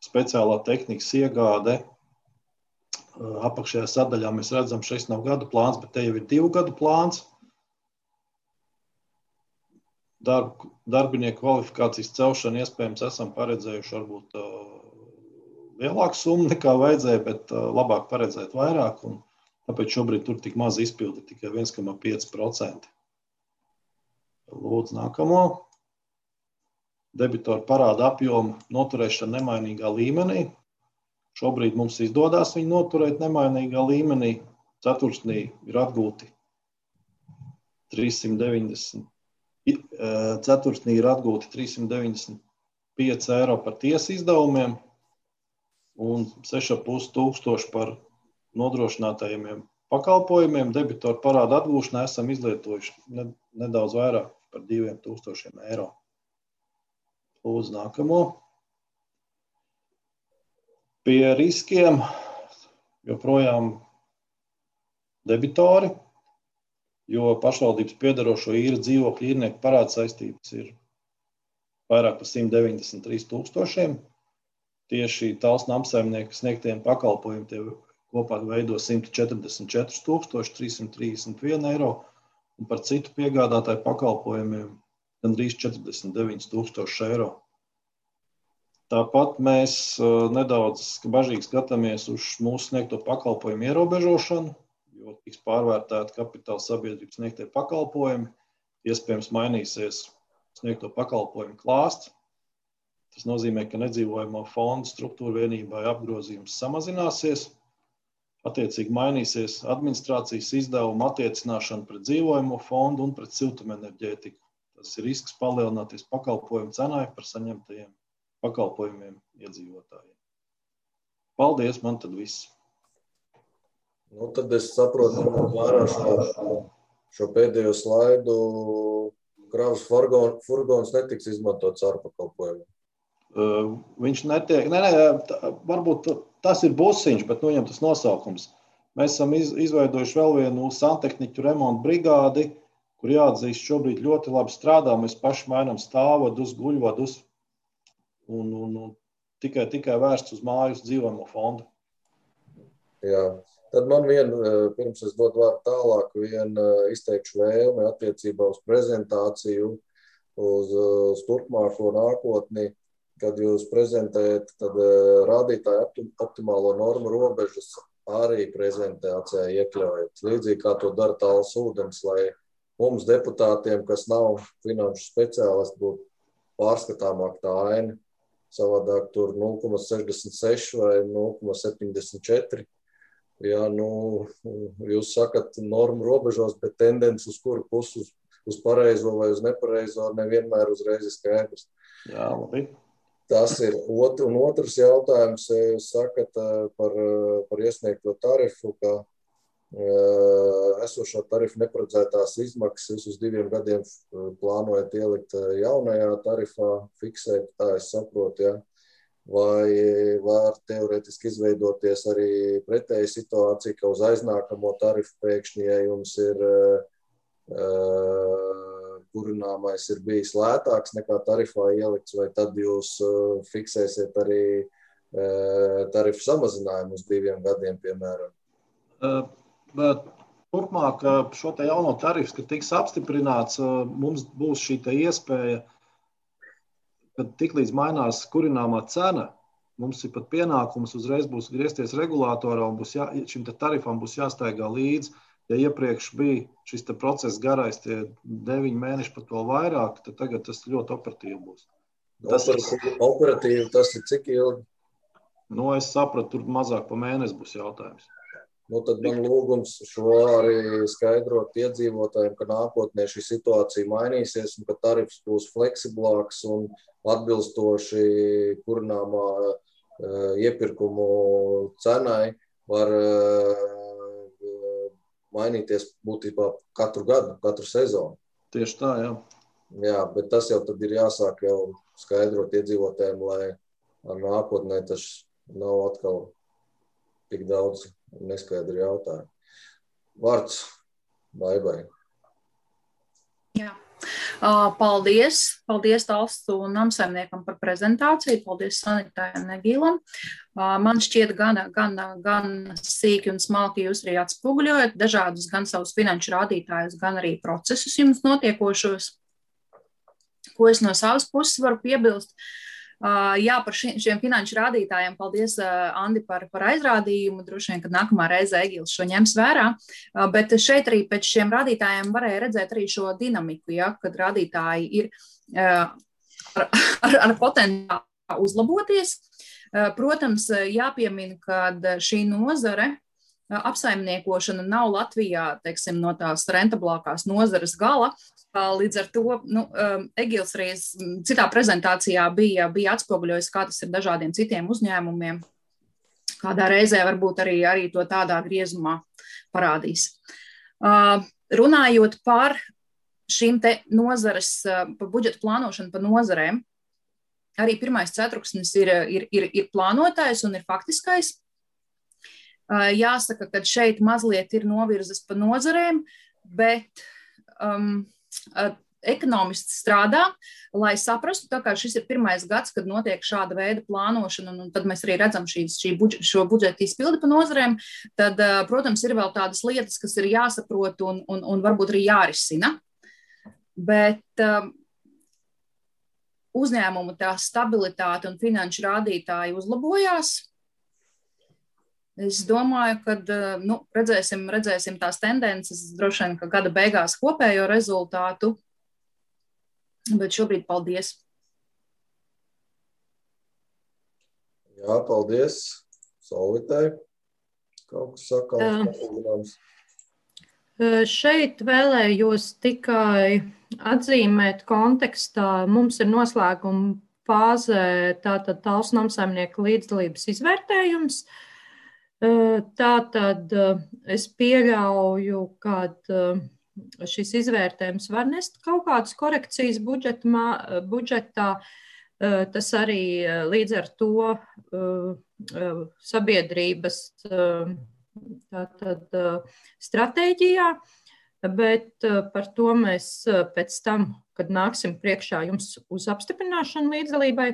Speciālā tehnikas iegāde. Apakšējā sadaļā mēs redzam, šis nav gada plāns, bet te jau ir divu gadu plāns. Darb, darbinieku kvalifikācijas celšanu iespējams esam paredzējuši varbūt lielāku summu nekā vajadzēja, bet labāk paredzēt vairāk, un tāpēc šobrīd tur tik maz izpildi, tikai viens komats pieci procenti. Lūdzu nākamo. Debitoru parāda apjomu noturēšana nemainīgā līmenī. Šobrīd mums izdodās viņu noturēt nemainīgā līmenī. Ceturksnī ir atgūti trīssimt deviņdesmit, ceturksnī ir atgūti trīssimt deviņdesmit pieci eiro par tiesu izdevumiem un seši ar pus tūkstoši par nodrošinātajiem pakalpojumiem. Debitoru parāda atgūšanā esam izlietojuši nedaudz vairāk par diviem tūkstošiem eiro. Lūdzu nākamo. Pie riskiem joprojām debitori, jo pašvaldības piedarošo īra dzīvokļu īrnieku parāda saistības ir vairāk par simt deviņdesmit trīs tūkstošiem. Tieši tāls namsaimnieku sniegtiem pakalpojumiem tie kopā veido simt četrdesmit četri tūkstoši trīssimt trīsdesmit viens eiro un par citu piegādātāju pakalpojumiem gandrīz četrdesmit deviņi tūkstoši eiro. Tāpat mēs nedaudz bažīgi skatāmies uz mūsu sniegto pakalpojumu ierobežošanu, jo tiks pārvērtēti kapitāla sabiedrības sniegtie pakalpojumi, iespējams mainīsies sniegto pakalpojumu klāsts. Tas nozīmē, ka nedzīvojamo fondu struktūra vienībai apgrozījums samazināsies, attiecīgi mainīsies administrācijas izdevumu attiecināšana pret dzīvojamo fondu un pret siltumenerģētiku. Tas ir risks palielināties pakalpojumu cenai par saņemtajiem pakalpojumiem iedzīvotājiem. Paldies, man tad viss. Nu, tad es saprotu, ka vērā šo, šo pēdējo slaidu kravas furgons netiks izmantots ārpakalpojumiem. Uh, viņš netiek, nē, nē, tā, varbūt tas ir busiņš, bet nu viņam tas nosaukums. Mēs esam iz, izveidojuši vēl vienu santehniķu remontu brigādi, kur jāatzīst šobrīd ļoti labi strādā. Mēs paši mainām stāvvadus, guļvadus un, un, un tikai, tikai vērsts uz mājas dzīvojamo fondu. Jā, tad man vien, pirms es dodu vārdu tālāk, vien izteikšu vēlmi attiecībā uz prezentāciju, uz, uz turpmāko nākotni. Kad jūs prezentējat, tad rādītāju optimālo normu robežas arī prezentācijā iekļaujat. Līdzīgi kā to dara Tāls ūdens, lai mums deputātiem, kas nav finanšu speciālisti, būtu pārskatāmāk tā aina savādāk tur nulle komats sešdesmit seši vai nulle komats septiņdesmit četri. Jā, nu, jūs sakat normu robežos, bet tendence uz kuru pusi, uz, uz pareizo vai uz nepareizo, nevienmēr uzreiz ir skaidrs. Jā, labi. Tas ir ot, un otrs jautājums, jūs sakat par, par iesniegto tarifu, ka esošā tarifa neparedzētās izmaksas uz diviem gadiem plānojat ielikt jaunajā tarifā, fiksēt, tā es saprotu, ja? Vai var teorētiski izveidoties arī pretēja situācija, ka uz aiznākamo tarifu pēkšņi, ja jums ir uh, kurināmais ir bijis lētāks nekā tarifā ielikts, vai tad jūs uh, fiksēsiet arī uh, tarifu samazinājumu uz diviem gadiem, piemēram? Uh. Bet turpmāk šo te jauno tarifu, kad tiks apstiprināts, mums būs šī te iespēja, kad tiklīdz mainās kurināmā cena, mums ir pat pienākums uzreiz būs griezties regulātorā un būs jā, šim te tarifam būs jāstaigā līdzi. Ja iepriekš bija šis te process garais, tie deviņi mēneši pat vēl vairāk, tad tagad tas ļoti operatīvi būs. Tas operatīvi, operatīvi tas ir cik ilgi? Nu, es sapratu, tur mazāk pa mēnesi būs jautājums. Nu, tad man lūgums šo arī skaidrot iedzīvotājiem, ka nākotnē šī situācija mainīsies un ka tarifs būs fleksiblāks un atbilstoši kurināmā uh, iepirkumu cenai var uh, mainīties būtībā katru gadu, katru sezonu. Tieši tā, jā. Jā, bet tas jau tad ir jāsāk jau skaidrot iedzīvotājiem, lai nākotnē tas nav atkal tik daudz neskaidri jautājumu. Vārds Baibai. Jā. Paldies. Paldies Talstu namsaimniekam par prezentāciju. Paldies Sanitai un Negīlam. Man šķiet gan, gan, gan sīki un smalki jūs arī atspoguļojat dažādus gan savus finanšu rādītājus, gan arī procesus jums notiekošos. Ko es no savas puses varu piebilst? Uh, jā, par ši, šiem finanšu rādītājiem paldies, uh, Andi, par, par aizrādījumu. Droši vien, kad nākamā reize Egils šo ņems vērā. Uh, bet šeit arī pēc šiem rādītājiem varēja redzēt arī šo dinamiku, ja, kad rādītāji ir uh, ar, ar, ar potenciālu uzlaboties. Uh, protams, jāpiemina, ka šī nozare uh, apsaimniekošana nav Latvijā, teiksim, no tās rentablākās nozares gala. Līdz ar to, nu, Egils arī citā prezentācijā bija, bija atspoguļojis, kā tas ir dažādiem citiem uzņēmumiem. Kādā reizē varbūt arī, arī to tādā griezumā parādīs. Uh, runājot par šīm te nozares, par budžeta plānošanu par nozarēm, arī pirmais ceturksnis ir, ir, ir, ir plānotais un ir faktiskais. Uh, jāsaka, ka šeit mazliet ir novirzes pa nozarēm, bet um, ekonomisti strādā, lai saprastu, tā kā šis ir pirmais gads, kad notiek šāda veida plānošana, un tad mēs arī redzam šīs, šī budžeta, šo budžeta izpildi pa nozarēm, tad, protams, ir vēl tādas lietas, kas ir jāsaprot un, un, un varbūt arī jārisina. Bet um, uzņēmumu tā stabilitāte un finanšu rādītāji uzlabojās. Es domāju, ka nu, redzēsim, redzēsim tās tendences, droši vien, ka gada beigās kopējo rezultātu, bet šobrīd paldies. Jā, paldies Solvitai. Kaut kas sakāms. Šeit vēlējos tikai atzīmēt kontekstā. Mums ir noslēguma fāzē tātad Talsu namsaimnieku līdzdalības izvērtējums. Tātad es pieļauju, ka šis izvērtējums var nest kaut kādas korekcijas budžetā, budžetā. Tas arī līdz ar to sabiedrības tātad, stratēģijā, bet par to mēs pēc tam, kad nāksim priekšā jums uz apstiprināšanu līdzdalībai.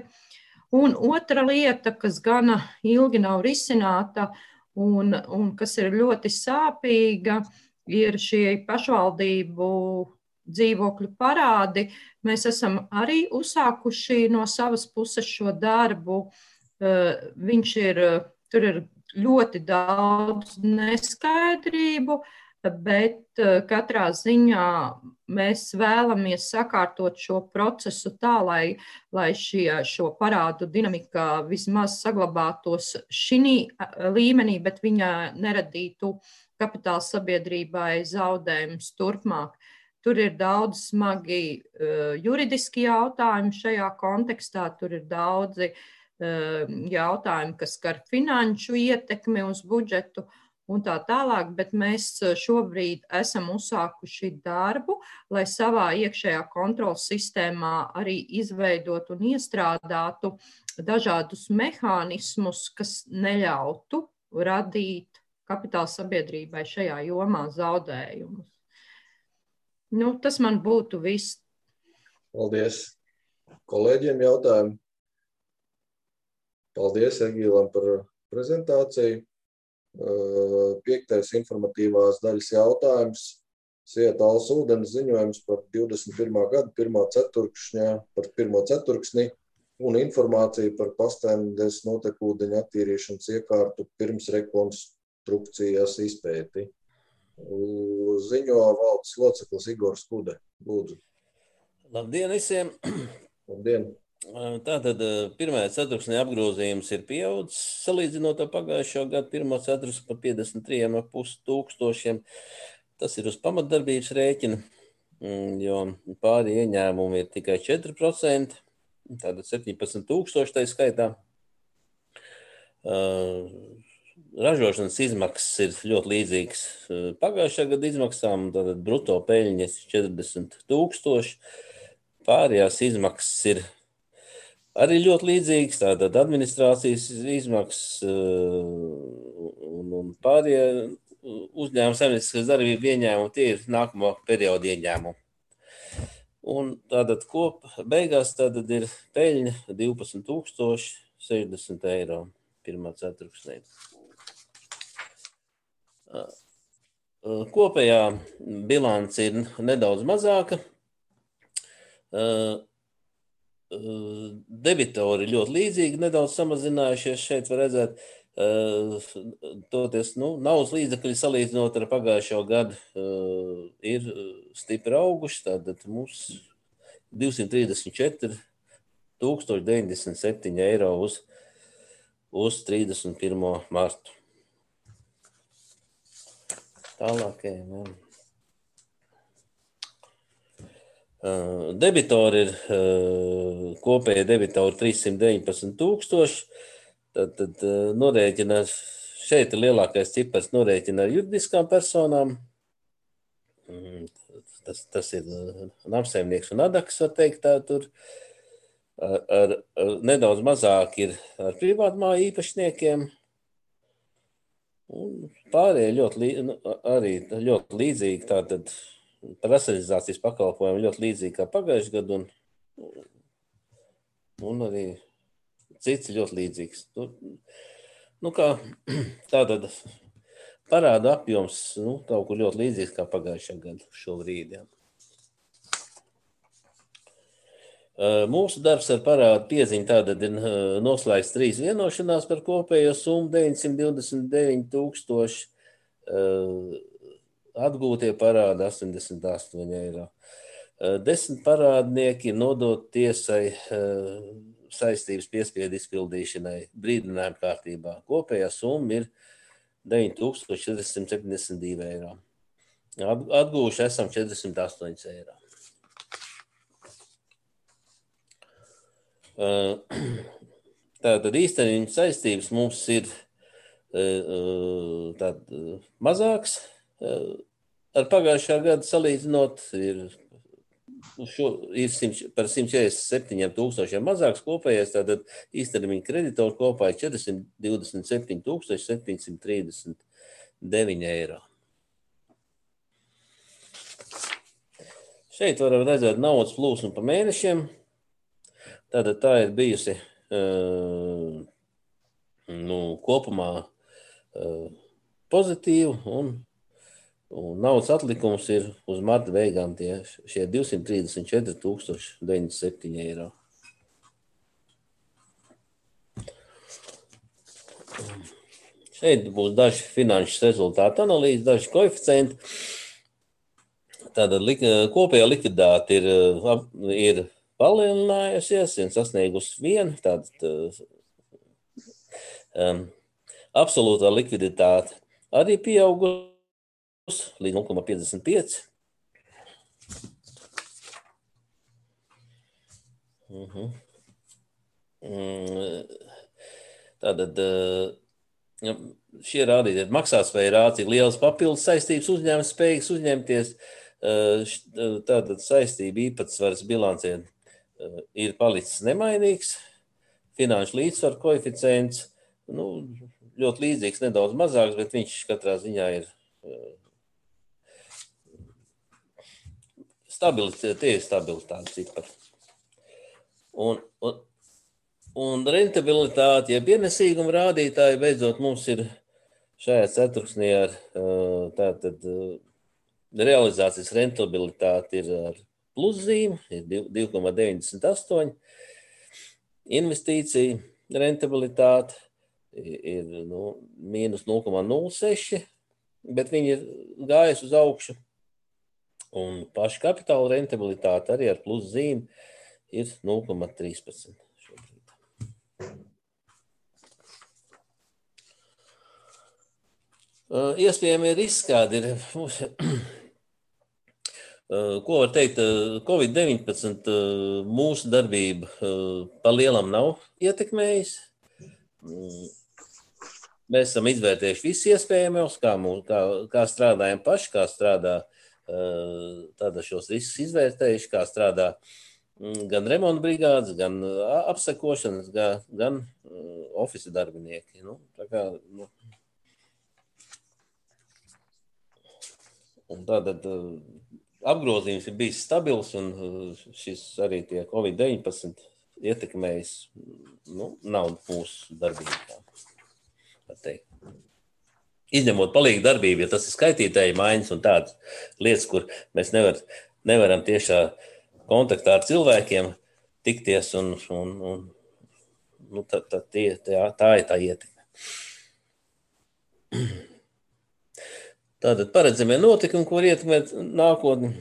Un otra lieta, kas gana ilgi nav risināta, Un, un kas ir ļoti sāpīga, ir šie pašvaldību dzīvokļu parādi. Mēs esam arī uzsākuši no savas puses šo darbu. Viņš ir, tur ir ļoti daudz neskaidrību, bet katrā ziņā mēs vēlamies sakārtot šo procesu tā, lai, lai šie, šo parādu dinamika vismaz saglabātos šī līmenī, bet viņa neradītu kapitāla sabiedrībai zaudējumus turpmāk. Tur ir daudz smagi uh, juridiski jautājumi šajā kontekstā, tur ir daudzi uh, jautājumi, kas skar finanšu ietekmi uz budžetu, un tā tālāk, bet mēs šobrīd esam uzsākuši darbu, lai savā iekšējā kontrolas sistēmā arī izveidot un iestrādātu dažādus mehānismus, kas neļautu radīt kapitāla sabiedrībai šajā jomā zaudējumus. Nu, tas man būtu viss. Paldies. Kolēģiem jautājumu. Paldies Egīlam par prezentāciju. Piektais informatīvās daļas jautājums. Sieta Alus ūdens ziņojums par divdesmit pirmā gada pirmā ceturkšņā, par pirmo ceturksni un informāciju par Pastainas notekūdeņa attīrīšanas iekārtu pirms rekonstrukcijas izpēti. Ziņo valdes loceklis Igors Kude. Lūdzu. Labdien visiem! Labdien! Tātad pirmajā ceturksnī apgrozījums ir pieaudzis, salīdzinot ar pagājušo gadu pirmo ceturksni par piecdesmit trīs komats pieci tūkstošiem. Tas ir uz pamatdarbības rēķina, jo pāri ieņēmumi ir tikai četri procenti, tātad septiņpadsmit tūkstoši tai skaitā. Ražošanas izmaksas ir ļoti līdzīgas pagājušā gada izmaksām, tātad bruto peļņas četrdesmit tūkstoši. Pārējās izmaksas ir arī ļoti līdzīgs, tātad administrācijas izmaksas un, un pārējie uzņēmuma saimnieciskas darbību ieņēmumi, tie ir nākamo periodu ieņēmumi. Un tātad kop beigās tātad ir peļņa divpadsmit tūkstoši sešdesmit eiro pirmā ceturksnī. Kopējā bilance ir nedaudz mazāka. Debitori ļoti līdzīgi, nedaudz samazinājušies. Šeit var redzēt, toties, nu, naudas līdzekļi salīdzinot ar pagājušo gadu ir stipri auguši. Tātad mums divsimt trīsdesmit četri tūkstoši deviņdesmit septiņi eiro uz, uz trīsdesmit pirmo martu. Tālāk, jā. Debitori ir kopēja debitori trīssimt deviņpadsmit tūkstoši. Tad, tad norēķina, šeit ir lielākais cipars norēķina ar juridiskām personām. Tas, tas ir namsaimnieks un adaks, var teikt tā tur. Ar, ar, ar, nedaudz mazāk ir ar privātmāju īpašniekiem. Un pārējie ļoti, arī ļoti līdzīgi, tātad par racionalizācijas pakalpojumu ļoti līdzīgi kā pagājušajā gadu, un, un arī cits ļoti līdzīgs. Nu, kā tātad parāda apjoms, nu, kaut kur ļoti līdzīgs kā pagājušajā gadu šobrīd. Jā. Mūsu darbs ar parādu pieziņu tātad ir noslēgts trīs vienošanās par kopējo summu deviņsimt divdesmit deviņi tūkstoši. Atgūtie parādi astoņdesmit astoņi eiro. Desmit parādnieki ir nodot tiesai saistības piespiedu izpildīšanai brīdinājuma kārtībā. Kopējā summa ir deviņi tūkstoši četrsimt septiņdesmit divi eiro. Atgūši esam četrdesmit astoņi eiro. Tātad īstermiņa saistības mums ir tād, mazāks. Ar pagājušā gadu salīdzinot ir, šo, ir simt, par simt četrdesmit septiņiem tūkstošiem mazāks kopējais, tātad īstermiņa kreditoru kopā ir četrsimt divdesmit septiņi tūkstoši septiņsimt trīsdesmit deviņi eiro. Šeit varam redzēt naudas plūsmu pa mēnešiem. Tātad tā ir bijusi nu, kopumā pozitīva un Un naudas atlikums ir uz marta beigām tie šie divsimt trīsdesmit četri tūkstoši deviņdesmit septiņi eiro. Šeit būs daži finanšu rezultātu analīzes, daži koeficienti. tāda lik, kopējā likviditāte ir, ir palielinājusies un sasniegusi vienu. Tāda um, absolūtā likviditāte arī pieaugusi līdz nulle komats piecdesmit pieci. Uh-huh. Tātad šie rādītāji maksātspēja rāda, cik lielas papildus saistības uzņēmums spējīgs uzņemties. Tātad saistība īpatsvars bilancē ir palicis nemainīgs. Finanšu līdzsvaru koeficients nu, ļoti līdzīgs, nedaudz mazāks, bet viņš katrā ziņā ir stabilitāte, tie ir stabilitāte cipari. Un, un, un rentabilitāte, ja pienesīguma rādītāji beidzot mums ir šajā ceturksnī ar tātad realizācijas rentabilitāte ir ar pluszīmu, ir divi komats deviņdesmit astoņi, investīcija rentabilitāte ir nu, mīnus nulle komats nulle seši, bet viņi ir gājusi uz augšu, un paša kapitāla rentabilitāte arī ar pluszīmu ir nulle komats trīspadsmit šobrīd. Iespējami riski kādi ir. Ko var teikt, covid deviņpadsmit mūsu darbība pa lielam nav ietekmējis. Mēs esam izvērtējuši visu iespējamos, kā, mūs, kā, kā strādājam paši, kā strādā tāda šos riskus izvērtējuši, kā strādā gan remonta brigādes, gan apsekošanas, gan, gan ofisa darbinieki. Nu, tā kā, nu. Un tātad apgrozījums ir bijis stabils, un šis arī tie covid deviņpadsmit ietekmējis, nu, nav mūsu darbībā. Izņemot palīgu darbību, ja tas ir skaitītāji maiņas un tādas lietas, kur mēs nevar, nevaram tiešā kontaktā ar cilvēkiem tikties, un, un, un nu, tā, tā, tie, tā, tā ir tā ietekme. Tātad paredzamie notikumi, ko var ietekmēt nākotni.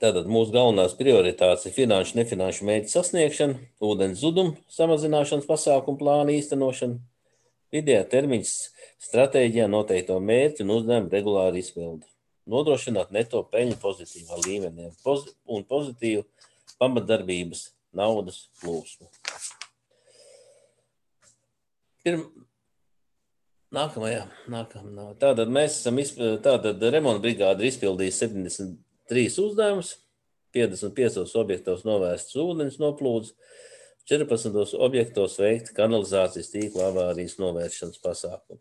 Tātad mūsu galvenās prioritātes ir finanšu, nefinanšu mērķu sasniegšana, ūdens zudumu samazināšanas pasākumu plānu īstenošana, vidējā termiņa stratēģijā noteikto mērķu un uzdevumu regulāru izpildi. Nodrošināt neto peļņu pozitīvā līmenī un pozitīvu pamatdarbības naudas plūsmu. Pirm... Nākamajā, nākamajā. Tātad mēs esam, izp... tātad remonta brigāde ir izpildījusi septiņdesmit trīs uzdevumus, piecdesmit piecos objektos novērsts ūdens noplūdes, četrpadsmitos objektos veikti kanalizācijas tīkla avārijas novēršanas pasākumi.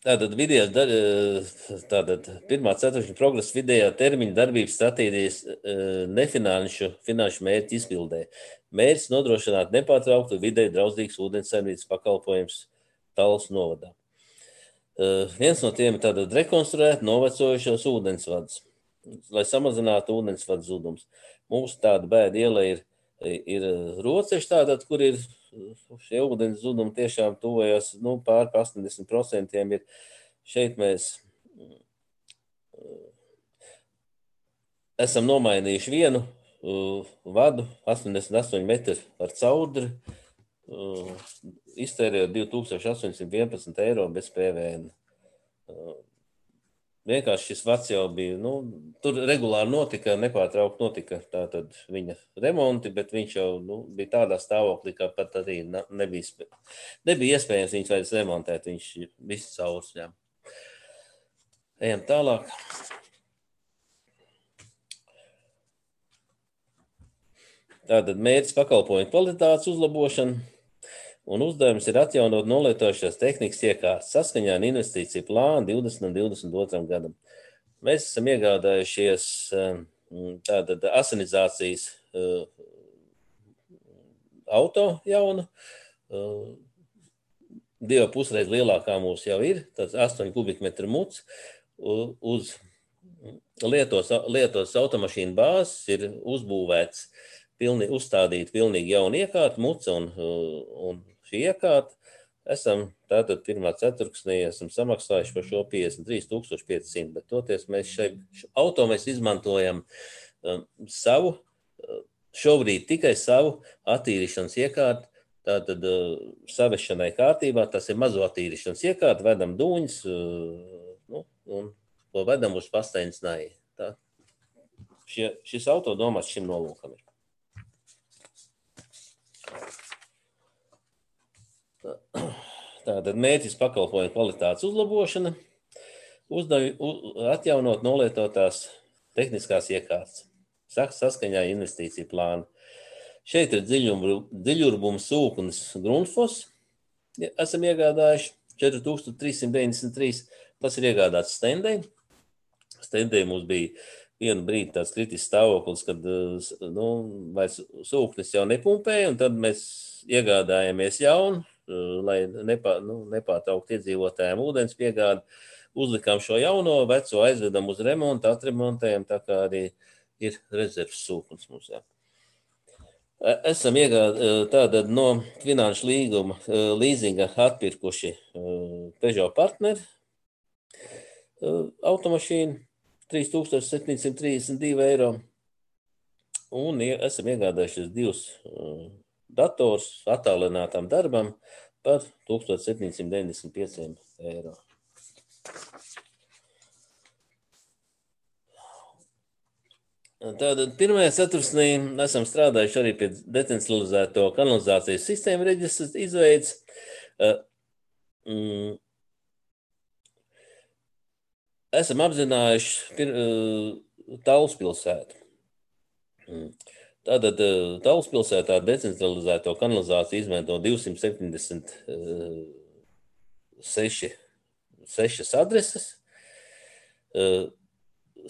Tātad, vidējās, tātad pirmā ceturkšņa progresa vidējā termiņa darbības stratēģijas nefinanšu finanšu mērķu izpildē. Mērķis nodrošināt nepārtrauktu vidēji draudzīgas ūdenssaimniecības pakalpojums Tallas novadā. Viens no tiem ir tātad rekonstruēt novecojušos ūdensvadus, lai samazinātu ūdensvadu zudums. Mums tāda bēda iela ir, ir Roceši, tātad, kur ir šie ūdens zudumi tiešām tuvojas, nu, pār astoņdesmit procentiem ir. Šeit mēs esam nomainījuši vienu uh, vadu, astoņdesmit astoņi metri ar caudri, uh, iztērējot divi tūkstoši astoņsimt vienpadsmit eiro bez P V N. Uh, Vienkārši šis vads jau bija, nu, tur regulāri notika, nepārtraukt notika tātad viņa remonti, bet viņš jau nu, bija tādā stāvoklī, ka pat arī nebija, nebija iespējams viņus vairs remontēt, viņš visu caurs ņem. Ejam tālāk. Tātad mērķis pakalpojumu kvalitātes uzlabošana. Un uzdevums ir atjaunot nolietojušās tehnikas iekārtas saskaņā ar investīciju plānu divdesmit un divdesmit otram gadam. Mēs esam iegādājušies tātad asinizācijas auto jaunu, divu pusreiz lielākā mūs jau ir, tāds astoņu kubikmetru muts, uz lietos, lietos automašīnu bāzes ir uzbūvēts, pilni, uzstādīt pilnīgi jaunu iekārtu, muca un, un šī iekārta, esam tātad pirmā ceturksnī esam samaksājuši par šo piecdesmit trīs tūkstoši pieci simti, bet toties mēs šai auto mēs izmantojam um, savu, šobrīd tikai savu attīrīšanas iekārtu, tātad uh, savešanai kārtībā, tas ir mazo attīrīšanas iekārtu, vedam dūņus, uh, nu, un to vedam uz Pastainas nai. Tā. Šie, šis auto domāts šim nolūkam ir. Tātad mērķis pakalpojumu kvalitātes uzlabošana, uzdavi, u, atjaunot nolietotās tehniskās iekārtas, saskaņā investīciju plānu. Šeit ir dziļurbums sūknis Grundfos, esam iegādājuši četri tūkstoši trīs simti deviņdesmit trīs, tas ir iegādāts Stendei. Stendei mums bija vienu brīdi tāds kritisks stāvoklis, kad nu, vairs sūknis jau nepumpēja, un tad mēs iegādājamies jaunu, lai nepā, nu, nepārtraukt iedzīvotājiem ūdens piegādi, uzlikām šo jauno, veco aizvedam uz remontu, atremontējam, tā kā arī ir rezerves sūknis mums. Jā. Esam iegādā tātad no finanšu līguma līzinga atpirkuši Peugeot partneri automašīnu trīs tūkstoši septiņi simti trīsdesmit divi eiro un esam iegādājušies divus dators attālinātām darbam par tūkstoš septiņi simti deviņdesmit pieci eiro. Tātad pirmajā ceturksnī esam strādājuši arī pie decentralizēto kanalizācijas sistēmu reģistras izveides. Esam apzinājuši Tallas pilsētu. Tātad Tallas pilsētā decentralizēto kanalizāciju izmanto divsimt septiņdesmit sešas adreses.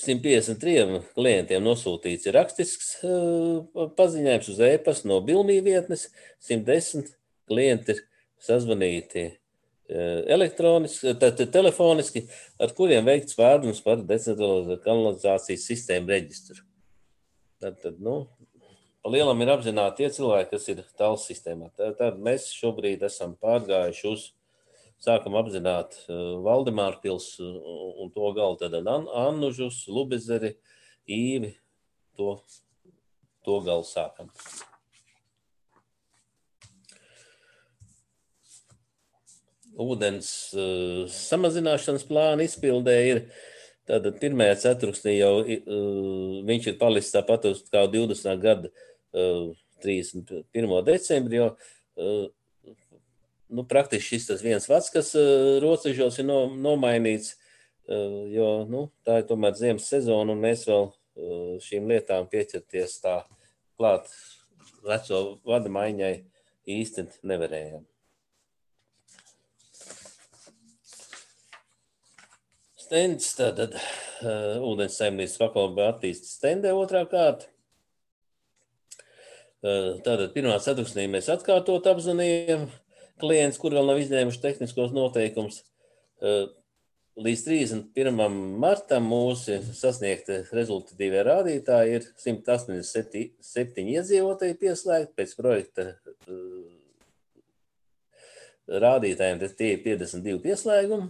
simt piecdesmit trim klientiem nosūtīts ir rakstisks paziņojums uz e-pastu no Bilmī vietnes, simt desmit klienti ir sazvanīti elektroniski, tātad telefoniski, ar kuriem veikts pārdomas par decentralizēto kanalizācijas sistēmu reģistru. Tātad, nu, pa lielam ir apzināti tie cilvēki, kas ir Tallas sistēmā. Tad mēs šobrīd esam pārgājuši uz, sākam apzināt Valdemāru pils un to galu, tad Annužus, Lubezeri, Īvi, to, to galu sākam. Ūdens uh, samazināšanas plāna izpildē ir, tātad pirmajā ceturksnī jau uh, viņš ir palicis tāpat uz kā divdesmitā gada uh, trīsdesmit pirmā decembri, jo uh, nu, praktiski šis tas viens vats, kas uh, rocežos ir no, nomainīts, uh, jo nu, tā ir tomēr ziemas sezona un mēs vēl uh, šīm lietām pieķerties tā klāt veco vada maiņai īsti nevarējām. Stends, tātad uh, ūdens saimniecības pakalpojumu attīstība Stendē otrā kārta. Uh, tātad pirmā ceturksnī mēs atkārtot apzvanījām klients, kur vēl nav izņēmuši tehniskos noteikumus. Uh, līdz trīsdesmit pirmajam martam mūsu sasniegti rezultatīvie rādītāji ir simt astoņdesmit septiņi iedzīvotāji pieslēgti pēc projekta uh, rādītājiem, tad tie ir piecdesmit divi pieslēgumi.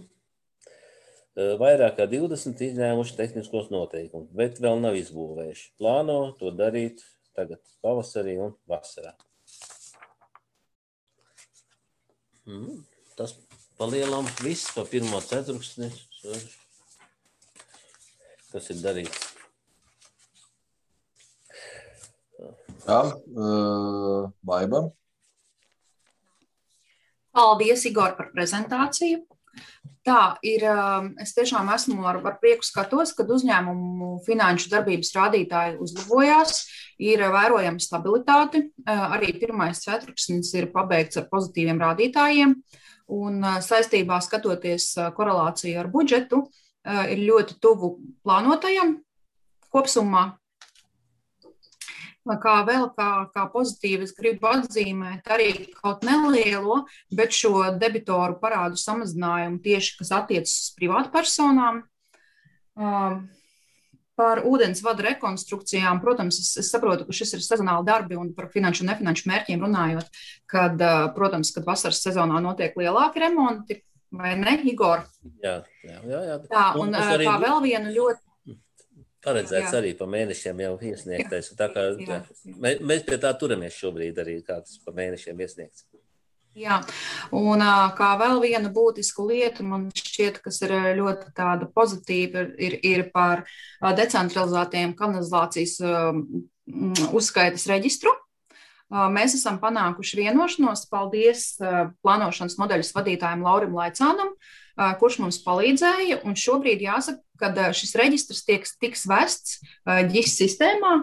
Vairāk kā divdesmit izņēmuši tehniskos noteikumus, bet vēl nav izbūvējuši. Plāno to darīt tagad pavasarī un vasarā. Mm, tas palielam viss pa pirmo ceturksni, kas ir darīts. Jā, uh, Baiba. Paldies, Igor, par prezentāciju. Tā ir, es tiešām esmu ar, ar prieku skatos, kad uzņēmumu finanšu darbības rādītāji uzlabojās, ir vērojama stabilitāte, arī pirmais ceturksnis ir pabeigts ar pozitīviem rādītājiem, un saistībā skatoties korelāciju ar budžetu, ir ļoti tuvu plānotajam kopsummā. Kā vēl kā, kā pozitīvi es gribu atzīmēt arī kaut nelielo, bet šo debitoru parādu samazinājumu tieši, kas attiecas uz privātpersonām. Par ūdensvadu rekonstrukcijām, protams, es, es saprotu, ka šis ir sezonāli darbi un par finanšu un nefinanšu mērķiem runājot, kad, protams, kad vasaras sezonā notiek lielāki remonti, vai ne, Igor? Jā, jā, jā. jā. Tā, un arī... kā vēl vienu ļoti... Paredzēts jā. Arī pa mēnešiem jau iesniegtais. Tā kā, jā, jā. Mēs pie tā turamies šobrīd arī kāds pa mēnešiem iesniegts. Jā, un kā vēl viena būtiska lieta, man šķiet, kas ir ļoti tāda pozitīva, ir, ir par decentralizētajiem kanalizācijas uzskaitas reģistru. Mēs esam panākuši vienošanos, paldies plānošanas nodaļas vadītājiem Laurim Laicānam, kurš mums palīdzēja, un šobrīd jāsaka, ka šis reģistrs tieks, tiks vests ģis sistēmā,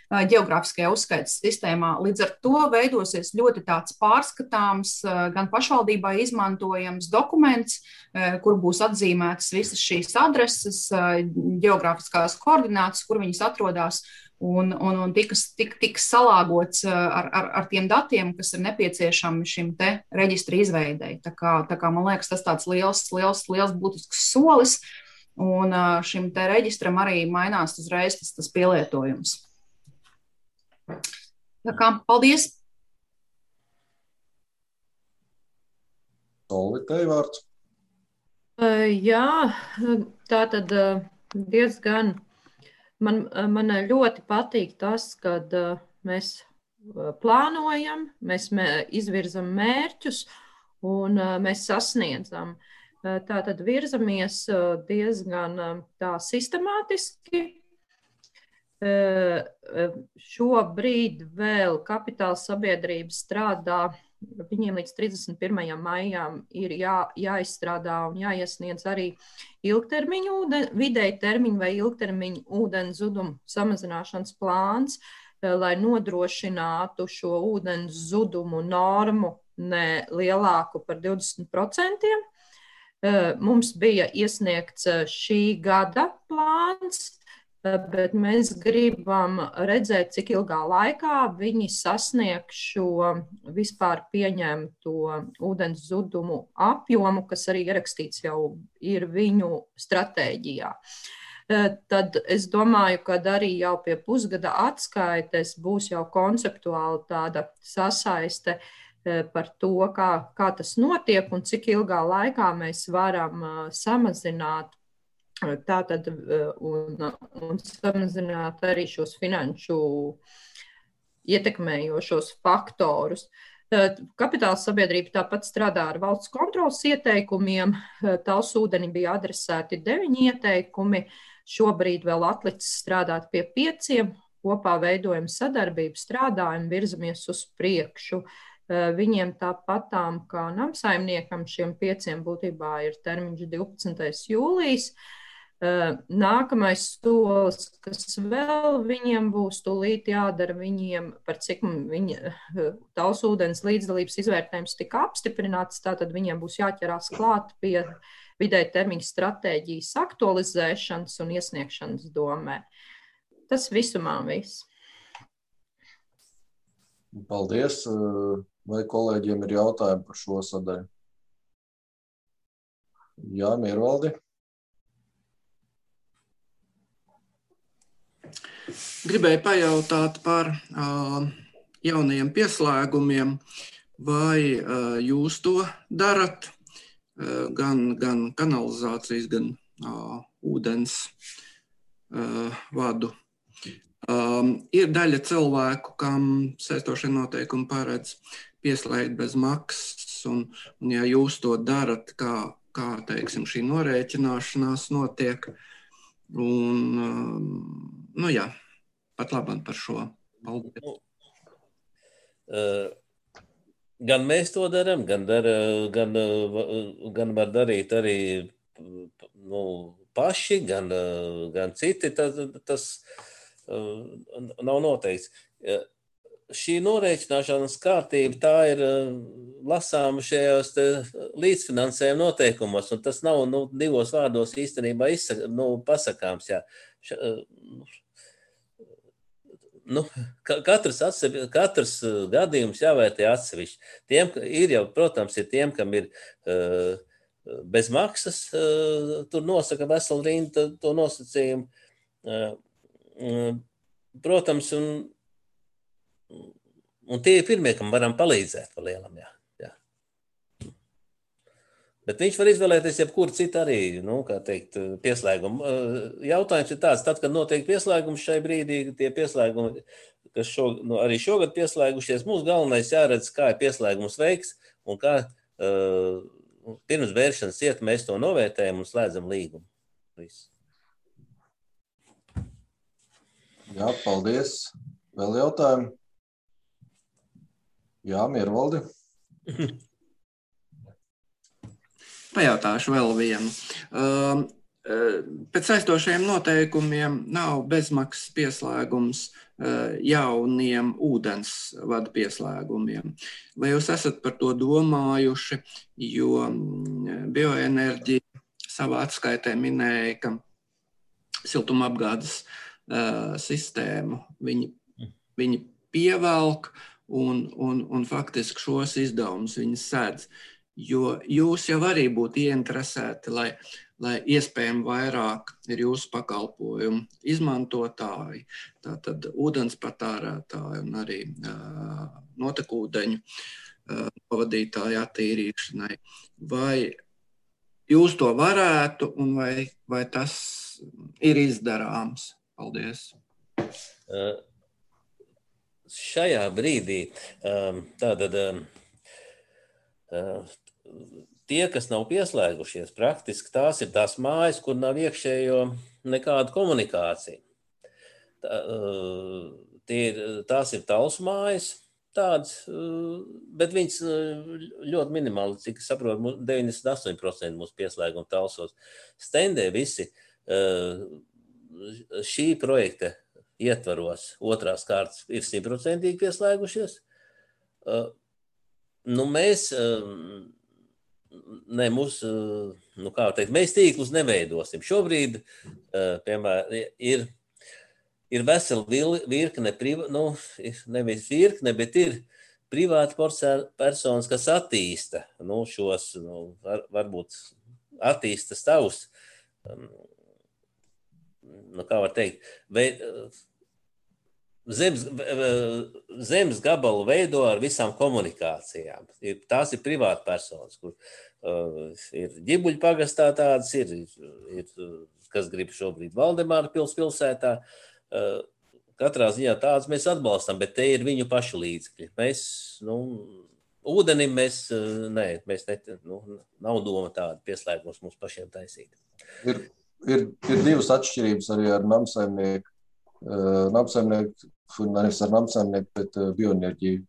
ģeogrāfiskajā uzskaitas sistēmā. Līdz ar to veidosies ļoti tāds pārskatāms, gan pašvaldībā izmantojams dokuments, kur būs atzīmētas visas šīs adreses, ģeogrāfiskās koordinātas, kur viņas atrodas, un, un, un tiks, tik, tiks salāgots ar, ar, ar tiem datiem, kas ir nepieciešami šim te reģistra izveidei. Tā kā, tā kā man liekas, tas tāds liels, liels, liels būtisks solis, un šim te reģistram arī mainās uzreiz tas, tas pielietojums. Tā kā, paldies! Olvitei vārds. Jā, tā tad diezgan, man, man ļoti patīk tas, kad mēs plānojam, mēs izvirzam mērķus un mēs sasniedzam. Tā tad virzamies diezgan tā sistemātiski. Šobrīd vēl kapitāla sabiedrība strādā, viņiem līdz trīsdesmit pirmajam maijam ir jā, jāizstrādā un jāiesniedz arī ilgtermiņu, ūden, vidēji termiņu vai ilgtermiņu ūdens zudumu samazināšanas plāns, lai nodrošinātu šo ūdens zudumu normu ne lielāku par divdesmit procentiem. Mums bija iesniegts šī gada plāns, bet mēs gribam redzēt, cik ilgā laikā viņi sasniegs šo vispār pieņemto ūdens zudumu apjomu, kas arī ierakstīts jau ir viņu stratēģijā. Tad es domāju, ka arī jau pie pusgada atskaites būs jau konceptuāli tāda sasaiste par to, kā, kā tas notiek un cik ilgā laikā mēs varam samazināt Tātad un, un samazināt arī šos finanšu ietekmējošos faktorus. Kapitāla sabiedrība tāpat strādā ar valsts kontrolas ieteikumiem. Talsūdeni bija adresēti deviņi ieteikumi. Šobrīd vēl atlicis strādāt pie pieciem. Kopā veidojam sadarbību, strādājam, virzamies uz priekšu. Viņiem tāpatām kā namsaimniekam šiem pieciem būtībā ir termiņš divpadsmitais jūlijas. Nākamais solis, kas vēl viņiem būs tūlīt jādara, viņiem par cik viņa Talsūdens līdzdalības izvērtējums tika apstiprināts, tātad viņiem būs jāķerās klāt pie vidēja termiņa stratēģijas aktualizēšanas un iesniegšanas domē. Tas visumā viss. Paldies. Vai kolēģiem ir jautājumi par šo sadaļu? Jā, Miervaldi. Gribēju pajautāt par uh, jaunajiem pieslēgumiem, vai uh, jūs to darat, uh, gan, gan kanalizācijas, gan uh, ūdens uh, vadu. Um, ir daļa cilvēku, kam saistošie noteikumi paredz pieslēgt bez maksas, un, un ja jūs to darat, kā, kā teiksim, šī norēķināšanās notiek, un, um, nu jā, pat labāk par šo. Paldies. Nu, uh, gan mēs to darām, gan, dar, gan, gan var darīt arī nu, paši, gan, gan citi. Tas, tas uh, nav noteikts. Uh, šī norēķināšanas kārtība, tā ir uh, lasāma šajos līdzfinansējuma noteikumos, un tas nav nu, divos vārdos īstenībā izsaka, nu, pasakāms. Jā. Š, uh, Nu, katrs, atsevi, katrs gadījums jāvērtē atsevišķi. Tiem ir jau, protams, ir tiem, kam ir uh, bez maksas, uh, tur nosaka veselu rindu to nosacījumu. Uh, protams, un, un tie ir pirmie, kam varam palīdzēt pa lielam, jā. jā. Bet viņš var izvēlēties jebkuru citu arī, nu, kā teikt, pieslēgumu. Jautājums ir tāds, tad, kad notiek pieslēgums šai brīdī, tie pieslēgumi, kas šo, nu, arī šogad pieslēgušies, mums galvenais jāredz, kā ir pieslēgums veiks un kā uh, pirms vēršanas iet mēs to novērtējam un slēdzam līgumu. Viss. Jā, paldies. Vēl jautājumi? Jā, Miervaldi. Pajautāšu vēl vienu. Uh, pēc aizstošajiem noteikumiem nav bezmaksas pieslēgums uh, jauniem ūdensvadu pieslēgumiem. Vai jūs esat par to domājuši, jo bioenerģija savā atskaitē minēja, ka siltumapgādes uh, sistēmu viņi, viņi pievelk un, un, un faktiski šos izdevumus viņi sēdz. Jo jūs jau arī būtu ieinteresēti, lai, lai iespējami vairāk ir jūsu pakalpojumu izmantotāji, tātad ūdens patērētāji un arī uh, notekūdeņu uh, pavadītāju attīrīšanai. Vai jūs to varētu un vai, vai tas ir izdarāms? Paldies. Uh, šajā brīdī um, tātad um, uh, tie, kas nav pieslēgušies, praktiski tās ir tās mājas, kur nav iekšējo nekāda komunikācija. Tā, tie ir, tās ir talsu mājas, tādas, bet viņas ļoti minimāli, cik saprotu, deviņdesmit astoņi procenti mūsu pieslēguma talsos. Stendē visi šī projekta ietvaros otrās kārtas ir simtprocentīgi pieslēgušies. Nu, mēs... Ne, mūs, nu kā teikt, mēs tīklus neveidosim. Šobrīd, piemēram, ir, ir vesela virkne, nu, nevis virkne, bet ir privāti personas, kas attīsta, nu, šos, nu, var, varbūt attīsta savus, nu, kā var teikt, veid, zemes, zemes gabalu veido ar visām komunikācijām. Tās ir privāti personas, kur uh, ir Ģibuļu pagastā tādas, ir, ir, kas grib šobrīd Valdemāra pils pilsētā. Uh, katrā ziņā tādas mēs atbalstam, bet te ir viņu pašu līdzekļi. Mēs, nu, ūdenim mēs, nē, mēs ne, nu, nav doma tāda pieslēgums mums pašiem taisīt. Ir, ir, ir divas atšķirības arī ar namsaimnieku. Uh, namsaimnieku, nevis ar namsaimnieku, bet uh, bioenerģiju.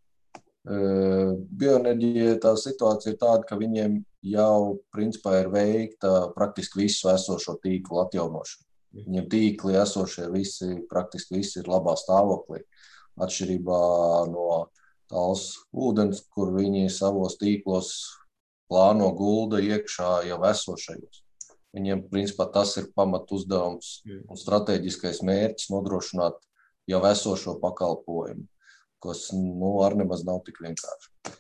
Uh, bioenerģija tā situācija ir tāda, ka viņiem jau principā ir veikta praktiski visu esošo tīklu atjaunošanu. Viņiem tīkli esošie visi, praktiski visi ir labā stāvoklī. Atšķirībā no tās ūdens, kur viņi savos tīklos plāno gulda iekšā jau esošajos. Viņiem, principā, tas ir pamat uzdevums un strateģiskais mērķis nodrošināt jau esošo pakalpojumu, kas, nu, ar nemaz nav tik vienkārši.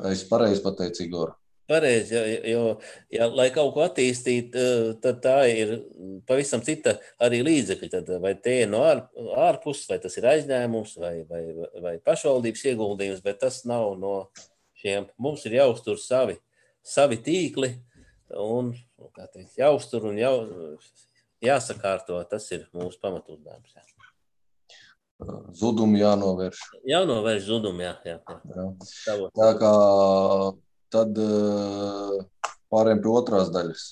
Es pareizi pateicu, Igor. Pareizi, jo, jo ja, lai kaut ko attīstītu, tad tā ir pavisam cita arī līdzekļi. Tad vai tie ir no ār, ārpus, vai tas ir aizņēmums, vai, vai, vai pašvaldības ieguldījums, bet tas nav no šiem. Mums ir jāuztur savi, savi tīkli, un, kā teikt, jāuztur un jau, jāsakārto, tas ir mūsu pamatuzdevums. Jā. Zudumu jānovērš. Jānovērš zudumu, jā. jā, jā. jā. Tā kā tad pārējiem pie otrās daļas.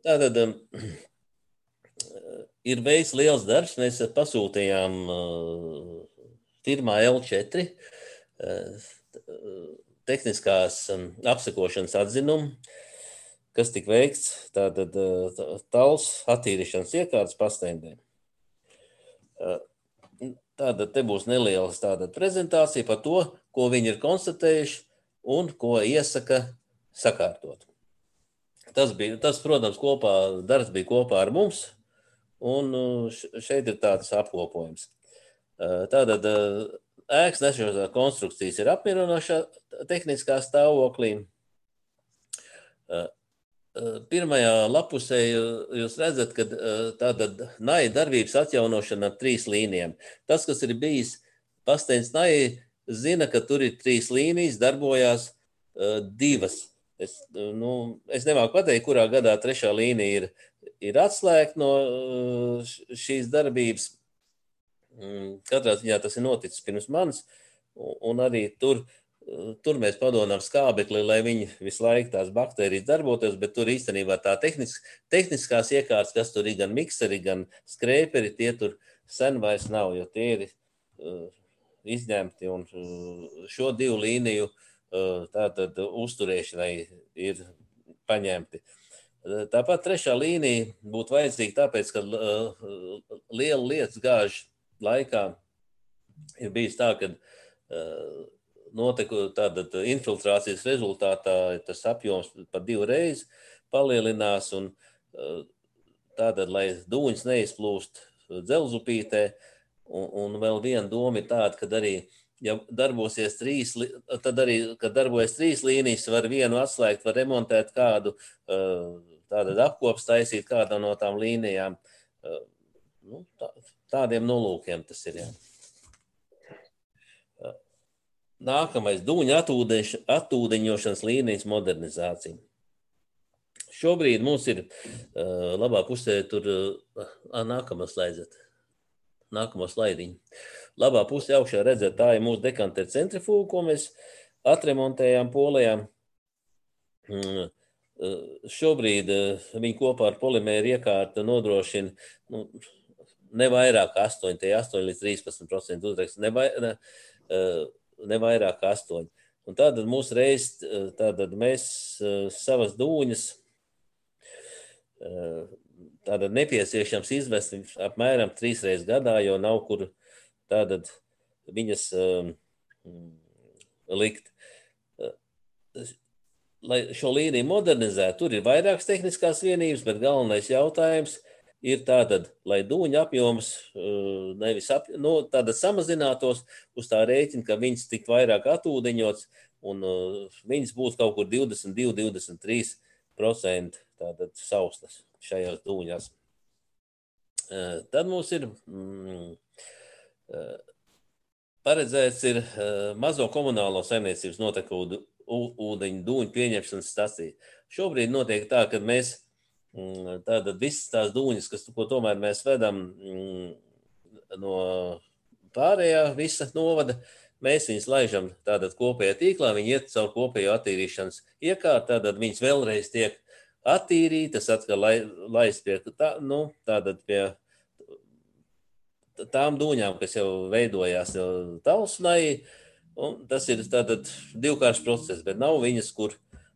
Tātad ir veids liels darbs, mēs pasūtījām firmā L četri tehniskās apsekošanas atzinumu, kas tika veikts tātad tals attīrīšanas iekārtas pastendēm. Tātad te būs nelielas tātad prezentācija par to, ko viņi ir konstatējuši un ko iesaka sakārtot. Tas bija, tas, protams, kopā, darbs bija kopā ar mums, un šeit ir tāds apkopojums. Tātad ēkas nešos konstrukcijas ir apmierinošā tehniskā stāvoklī. Pirmajā lapusē jūs redzat, ka tātad naja darbības atjaunošana ar trīs līnijām. Tas, kas ir bijis Pasteins naja, zina, ka tur ir trīs līnijas, darbojās uh, divas. Es, nu, es nemāku pateikt, kurā gadā trešā līnija ir, ir atslēgta no uh, šīs darbības. Mm, katrā ziņā tas ir noticis pirms manis, un, un arī tur Tur mēs padomājam skābekli, lai viņi visu laiku tās baktērijas darbotos, bet tur īstenībā tā tehnisk, tehniskās iekārtas, kas tur ir gan mikseri, gan skrēperi, tie tur sen vairs nav, jo tie ir uh, izņemti un uh, šo divu līniju uh, tātad uzturēšanai ir paņemti. Tāpat trešā līnija būtu vajadzīga tāpēc, ka uh, liela lietas gāžu laikā ir bijis tā, ka uh, notiku tātad infiltrācijas rezultātā tas apjoms pa divu reizi palielinās un tātad, lai dūņas neizplūst dzelzupītē, un, un vēl viena doma ir tāda, kad arī, ja darbosies trīs, tad arī, kad darbojas trīs līnijas, var vienu atslēgt, var remontēt kādu, tātad apkops taisīt kādā no tām līnijām. Nu, tā, tādiem nolūkiem tas ir, jā. Nākamais dūņa atūdeņošanas līnijas modernizācija. Šobrīd mums ir uh, labā pusē tur, uh, nākamā slaidzet, nākamā slaidiņa. Labā pusē augšā redzēt, tā ir mūsu dekanteru centrifūga, ko mēs atremontējām Polijā. Mm, uh, šobrīd uh, viņi kopā ar polimēru iekārtu nodrošina nu, ne vairāk astoņi, tie astoņi līdz trīspadsmit procenti uzraksts, ne vairāk, uh, ne vairāk kā astoņi. Un tātad mūsu reiz, tātad mēs savas dūņas tātad nepieciešams izvest apmēram trīs reizes gadā, jo nav kur tātad viņas um, likt. Lai šo līniju modernizētu, tur ir vairākas tehniskās vienības, bet galvenais jautājums ir tātad, lai dūņa apjoms nevis ap, nu, tātad samazinātos uz tā rēķina, ka viņas tik vairāk atūdeņots un uh, viņas būs kaut kur divdesmit divi līdz divdesmit trīs procenti tātad saustas šajās dūņās. Uh, tad mums ir mm, uh, paredzēts ir uh, mazo komunālo saimniecības notekūdu ūdeņu dūņu pieņemšanas stacija. Šobrīd notiek tā, ka mēs tātad visas tās dūņas, kas, ko tomēr mēs vedam no pārējā visa novada, mēs viņas laižam tātad kopējā tīklā, viņi iet caur kopējo attīrīšanas iekārtu, tātad viņas vēlreiz tiek attīrītas, atkal lai, laist pie, tā, nu, tātad pie tām dūņām, kas jau veidojās jau Talsnai, un tas ir tātad divkāršs process, bet nav viņas, kur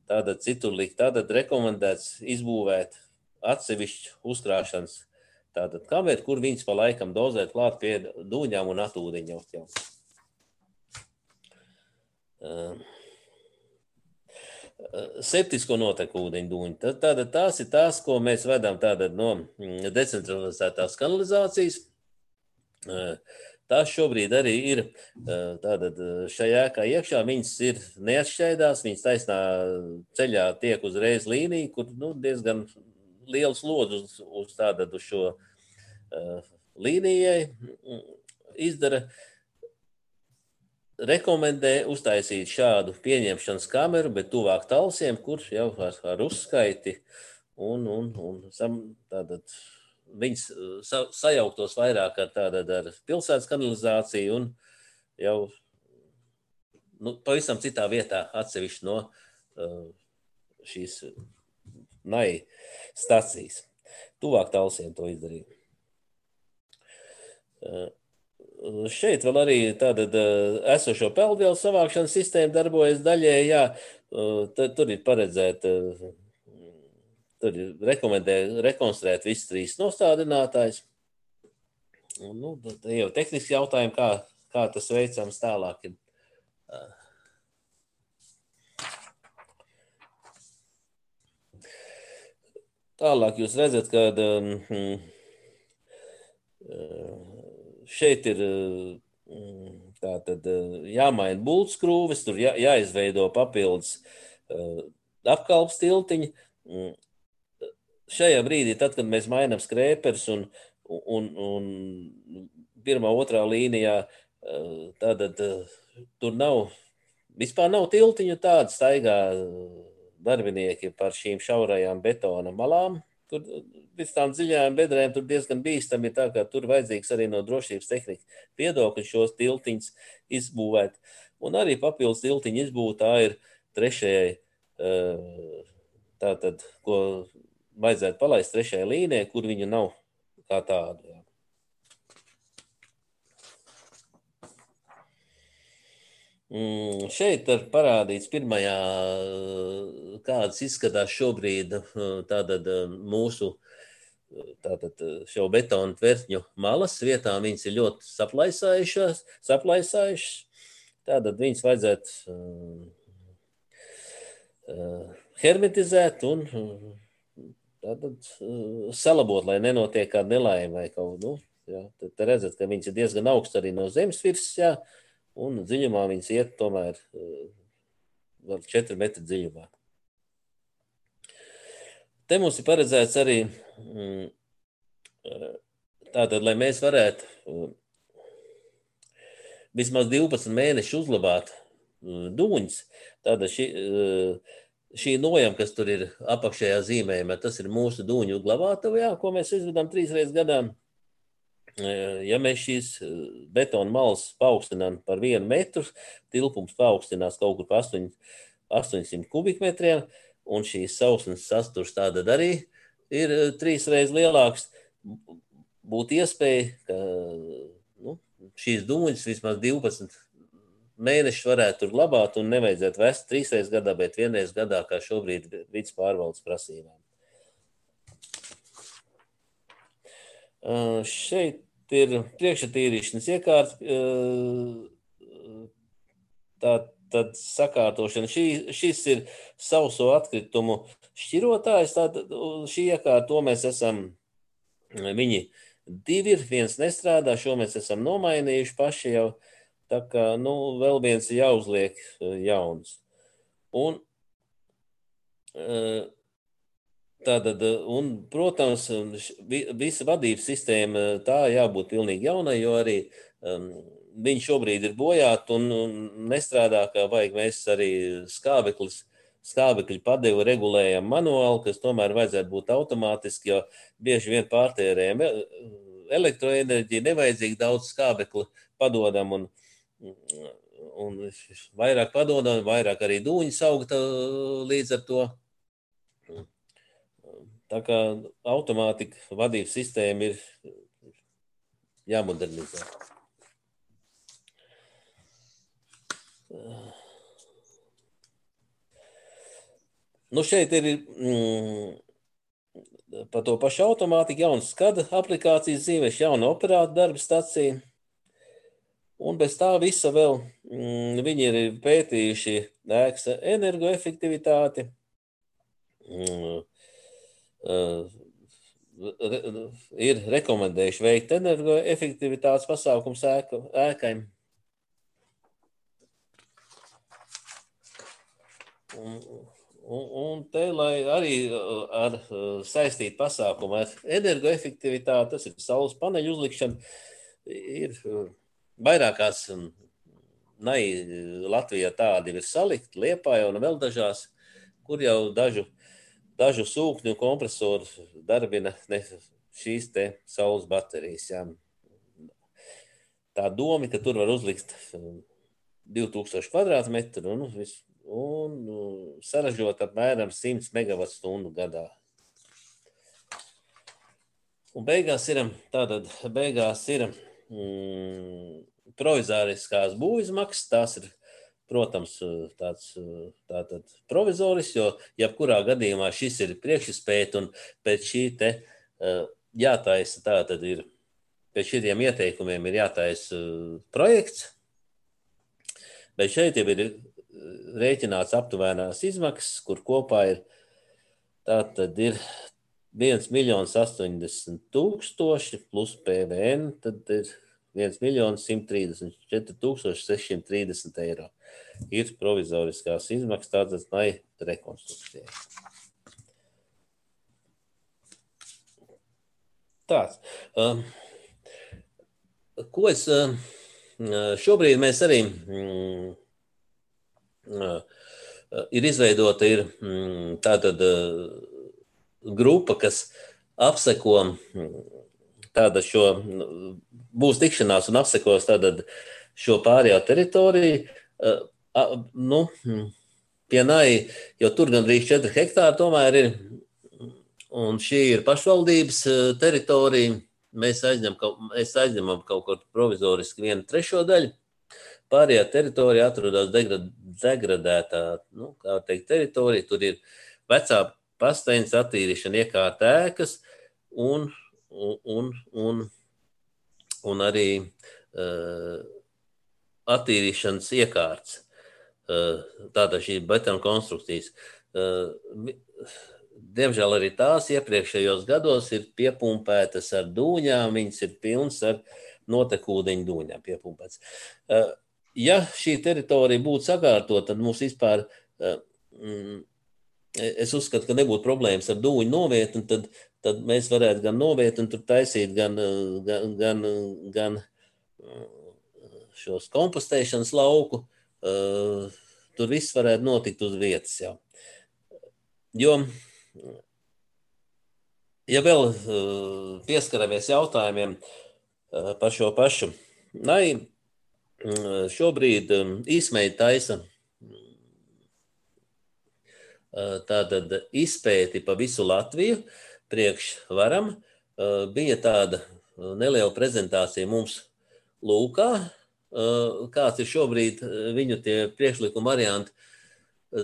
tātad citur likt, tātad rekomendēts izbūvēt atsevišķu uzkrāšanas tātad kameru, kur viņas pa laikam dozēt klāt pie dūņām un atūdeņot jau. Uh, septisko notekūdeņu dūņu. Tātad tās ir tās, ko mēs vedam tātad no decentralizētās kanalizācijas. Uh, Tās šobrīd arī ir tātad šajā ēkā iekšā, viņas ir neatšķaidās, viņas taisnā ceļā tiek uzreiz līnija, kur nu, diezgan liels lodz uz, uz, tātad, uz šo uh, līnijai izdara. Rekomendē uztaisīt šādu pieņemšanas kameru, bet tuvāk Talsiem, kur jau ar, ar uzskaiti un, un, un sam, tātad, viņas sa, sajauktos vairāk ar, tātad, ar pilsētas kanalizāciju un jau nu, pavisam citā vietā atsevišķi no uh, šīs naja stacijas. Tuvāk Talsiem to izdarīja. Uh, šeit vēl arī tātad uh, esošo peldvielu savākšanas sistēma darbojas daļēji, jā, uh, tad, tur ir paredzēta uh, Tur rekomendē rekonstruēt visas trīs nostādinātājs. Nu, tad jau tehniski jautājumi, kā, kā tas veicams tālāk. Tālāk jūs redzat, ka um, šeit ir tātad jāmaina bultskrūves, tur jā, jāizveido papildus uh, apkalpes tiltiņi. Šajā brīdī, tad, kad mēs mainām skrēpers un, un, un pirmā, otrā līnijā, tātad tur nav, vispār nav tiltiņu tāda, staigā darbinieki par šīm šaurajām betona malām. Tur pēc tām dziļajām bedrēm tur diezgan bīstami, tā kā tur vajadzīgs arī no drošības tehnika viedokļa šos tiltiņus izbūvēt. Un arī papildus tiltiņu izbūvēt, tā ir trešajai, tātad, ko vajadzētu palaist trešajai līnijai, kur viņu nav kā tādu. Jā. Mm, šeit ir parādīts pirmajā, kādas izskatās šobrīd tātad mūsu tātad šo betonu tvertņu malas vietām. Viņas ir ļoti saplaisājušas, saplaisājušas. Tātad viņas vajadzētu uh, hermetizēt un tātad uh, salabot, lai nenotiek kāda nelaime vai kaut, nu, jā. Tad, tad redzat, ka viņas ir diezgan augsts arī no zemes virsmas, jā. Un dziļumā viņas iet tomēr vēl četri metri dziļumā. Te mums ir paredzēts arī tātad, lai mēs varētu vismaz divpadsmit mēneši uzglabāt dūņus, tātad šī, šī nojama, kas tur ir apakšējā zīmējumā, tas ir mūsu dūņu glabātava, jā, ko mēs izvedam trīs reizes gadā. Ja mēs šīs betona malas paaugstinām par vienu metru, tilpums paaugstinās kaut kur pa astoņsimt kubikmetriem, un šīs sausnes sasturs tātad arī ir trīs reizes lielāks, būtu iespēja, ka nu, šīs dūņas vismaz divpadsmit mēnešus varētu tur glabāt un nevajadzētu vest trīs reizes gadā, bet vienreiz gadā, kā šobrīd vidas pārvaldes prasībām. Uh, šeit ir priekšatīrīšanas iekārts, uh, tā tad sakārtošana. Šī, šis ir sauso atkritumu šķirotājs, tātad šī iekārta, to mēs esam, viņi divi ir, viens nestrādā, šo mēs esam nomainījuši paši jau, tā kā, nu, vēl viens jāuzliek jauns. Un, uh, Tātad, un, protams, visa vadības sistēma tā jābūt pilnīgi jaunai, jo arī um, viņi šobrīd ir bojāti un, un nestrādā, kā vajag. Mēs arī skābeklis, skābekļu padevu regulējam manuāli, kas tomēr vajadzētu būt automātiski, jo bieži vien pārtērējam elektroenerģiju, nevajadzīgi daudz skābekli padodam un, un vairāk padodam, vairāk arī dūņi saugta līdz ar to. Tā kā automātika vadības sistēma ir jāmodernizē. Nu šeit ir mm, par to pašu automātiku, jaunas skada aplikācijas zīmēs, jauna operāta darba stacija. Un bez tā visa vēl mm, viņi ir pētījuši ēkas energoefektivitāti. Mm, Uh, re, ir rekomendējuši veikt energoefektivitātes pasākums ēka, ēkai. Un, un, un te, lai arī ar saistīt pasākumu ar energoefektivitāti, tas ir saules paneļu uzlikšana, ir vairākās nai Latvijā tādi ir salikt, Liepājā un vēl dažās, kur jau dažu Dažu sūkņu kompresoru darbina ne, šīs te saules baterijas. Jā. Tā doma, ka tur var uzlikt divi tūkstoši kvadrātmetru un, un saražot apmēram simt megavatstundu gadā. Un beigās ir, tātad beigās ir mm, provizoriskās būvizmaksas, tās ir protams, tāds tātad provizoris, jo jebkurā gadījumā šis ir priekšizpēta un pēc šī te jātaisa, tātad ir, pēc šiem ieteikumiem ir jātaisa projekts, bet šeit jau ir rēķināts aptuvēnās izmaksas, kur kopā ir, tātad ir viens miljons astoņdesmit tūkstoši plus P V N, tad ir viens miljons simt trīsdesmit četri tūkstoši sešsimt trīsdesmit eiro. ir provizoriskās izmaksas tādas lai rekonstrukcijai. Tāds. Um, ko es um, šobrīd mēs arī um, uh, ir izveidota ir um, tātad uh, grupa, kas apseko tāda šo, būs tikšanās un apsekos tātad šo pārējā teritoriju, uh, nu, pie Nai, jo tur gandrīz četri hektāri tomēr ir, un šī ir pašvaldības teritorija, mēs aizņem, mēs aizņemam kaut kur provizoriski vienu trešo daļu, pārējā teritorija atrodas degradētā, nu, kā teikt, teritorija, tur ir vecā pasteņas attīrīšana iekārta ēkas un, un, un, un arī uh, attīrīšanas iekārts. Uh, tātad šī betona konstrukcijas. Uh, diemžēl arī tās iepriekšējos gados ir piepumpētas ar dūņām, viņas ir pilnas ar notekūdeņu dūņām piepumpētas. Uh, ja šī teritorija būtu sakārtot, tad mums vispār uh, mm, es uzskatu, ka nebūtu problēmas ar dūņu novietni, tad, tad mēs varētu gan novietni tur taisīt, gan, gan, gan, gan šos kompostēšanas lauku. Uh, tur viss varētu notikt uz vietas jau. Jo, ja vēl uh, pieskaramies jautājumiem uh, par šo pašu, Nai uh, šobrīd um, īsmēji taisa tātad izpēti pa visu Latviju priekš varam. Bija tāda neliela prezentācija mums Lūkā, kāds ir šobrīd viņu tie priekšlikuma varianti.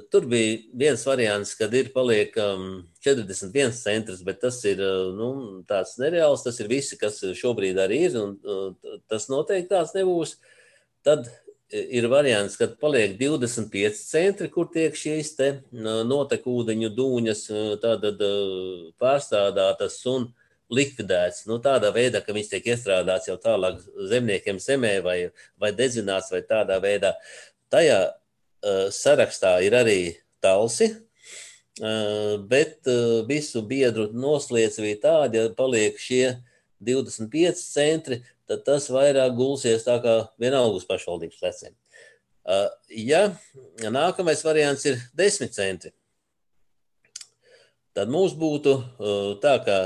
Tur bija viens variants, kad ir paliek četrdesmit viens centrs, bet tas ir nu, tāds nereāls, tas ir visi, kas šobrīd arī ir, un tas noteikti tāds nebūs. Tad ir variants, kad paliek divdesmit pieci centri, kur tiek šīs te notekūdeņu dūņas tātad pārstrādātas un likvidēts. Nu, tādā veidā, ka viņas tiek iestrādāts jau tālāk zemniekiem zemē vai, vai dedzināts vai tādā veidā. Tajā uh, sarakstā ir arī Talsi, uh, bet uh, visu biedru noslēdz bija tādi, ja paliek šie divdesmit pieci centri, tad tas vairāk gulsies tā kā vienalga uz pašvaldības pleciem. Uh, ja nākamais variants ir desmit centri, tad mums būtu uh, tā, ka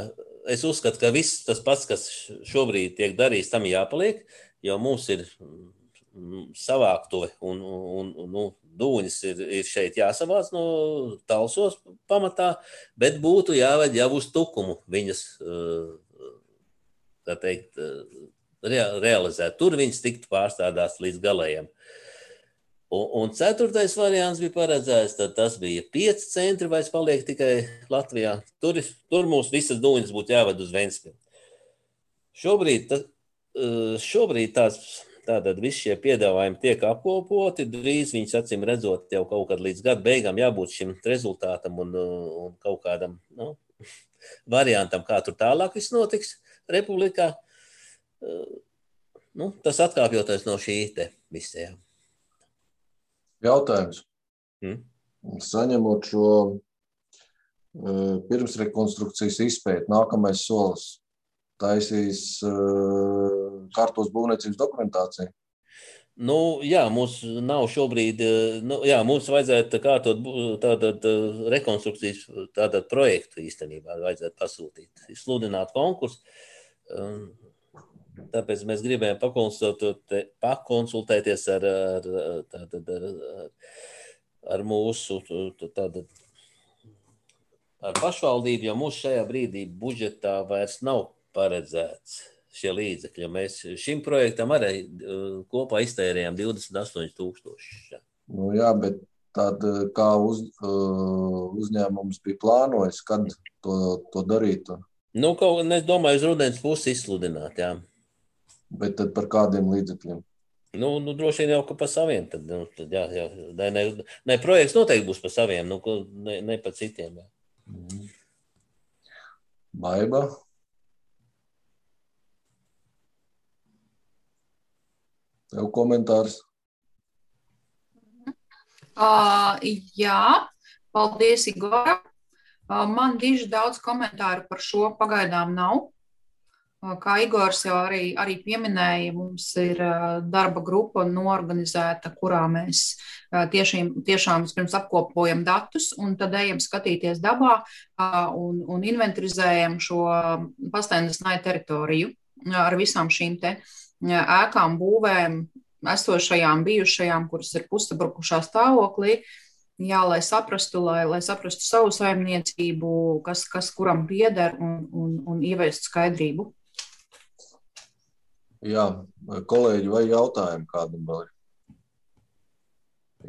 es uzskatu, ka viss tas pats, kas šobrīd tiek darīts, tam jāpaliek, jo mums ir savāktuve un, un, un nu, dūņas ir, ir šeit jāsavāc no Talsos pamatā, bet būtu jāved jau uz tukumu viņas, tā teikt, realizēt. Tur viņas tiktu pārstādāts līdz galējiem. Un, un ceturtais variants bija paredzēts, tad tas bija pieci centri, vai es paliek tikai Latvijā. Tur, tur mums visas dūņas būtu jāved uz Ventspili. Šobrīd, tā, šobrīd tās, tātad visi šie piedāvājumi tiek apkopoti, drīz viņas acīm redzot jau kaut kad līdz gada beigām jābūt šim rezultātam un, un kaut kādam nu, variantam, kā tur tālāk viss notiks Republikā. Nu, tas atkāpjoties no šī te visajā. Jautājums. Hmm? Saņemot šo uh, pirmsrekonstrukcijas izpēti, nākamais solis taisīs uh, kārtos būvniecības dokumentāciju? Nu, jā, mums nav šobrīd, nu, jā, mums vajadzētu kārtot tātad rekonstrukcijas tātad projektu īstenībā vajadzētu pasūtīt, sludināt konkursu. Um, Tāpēc mēs gribējām pakonsultēties ar, ar, tātad, ar, ar mūsu tātad, ar pašvaldību, jo mūsu šajā brīdī budžetā vairs nav paredzēts šie līdzekļi. Mēs šim projektam arī kopā iztērējām divdesmit astoņi tūkstoši. Nu jā, bet tad kā uz, uzņēmums bija plānojis, kad to, to darītu? Nu, kaut, es domāju, uz rudens pusi izsludināt, jā. Bet tad par kādiem līdzekļiem? Nu, nu droši vien jau, ka par saviem. Tad, nu, tad jā, jā, ne, ne, projekts noteikti būs par saviem, nu, ne, ne par citiem. Jā. Mm. Baiba? Tev komentārs? Uh, jā, paldies, Igora. Uh, man diži daudz komentāru par šo pagaidām nav. Kā Igors jau arī, arī pieminēja, mums ir darba grupa noorganizēta, kurā mēs tiešām, tiešām vispirms apkopojam datus un tad ejam skatīties dabā un, un inventarizējam šo Pastainas teritoriju ar visām šīm te ēkām, būvēm, esošajām, bijušajām, kuras ir pussabrukušā stāvoklī. Jā, lai saprastu, lai, lai saprastu savu saimniecību, kas, kas kuram pieder un, un, un ieviest skaidrību. Jā, kolēģi, vai jautājumi kādam vēl ir?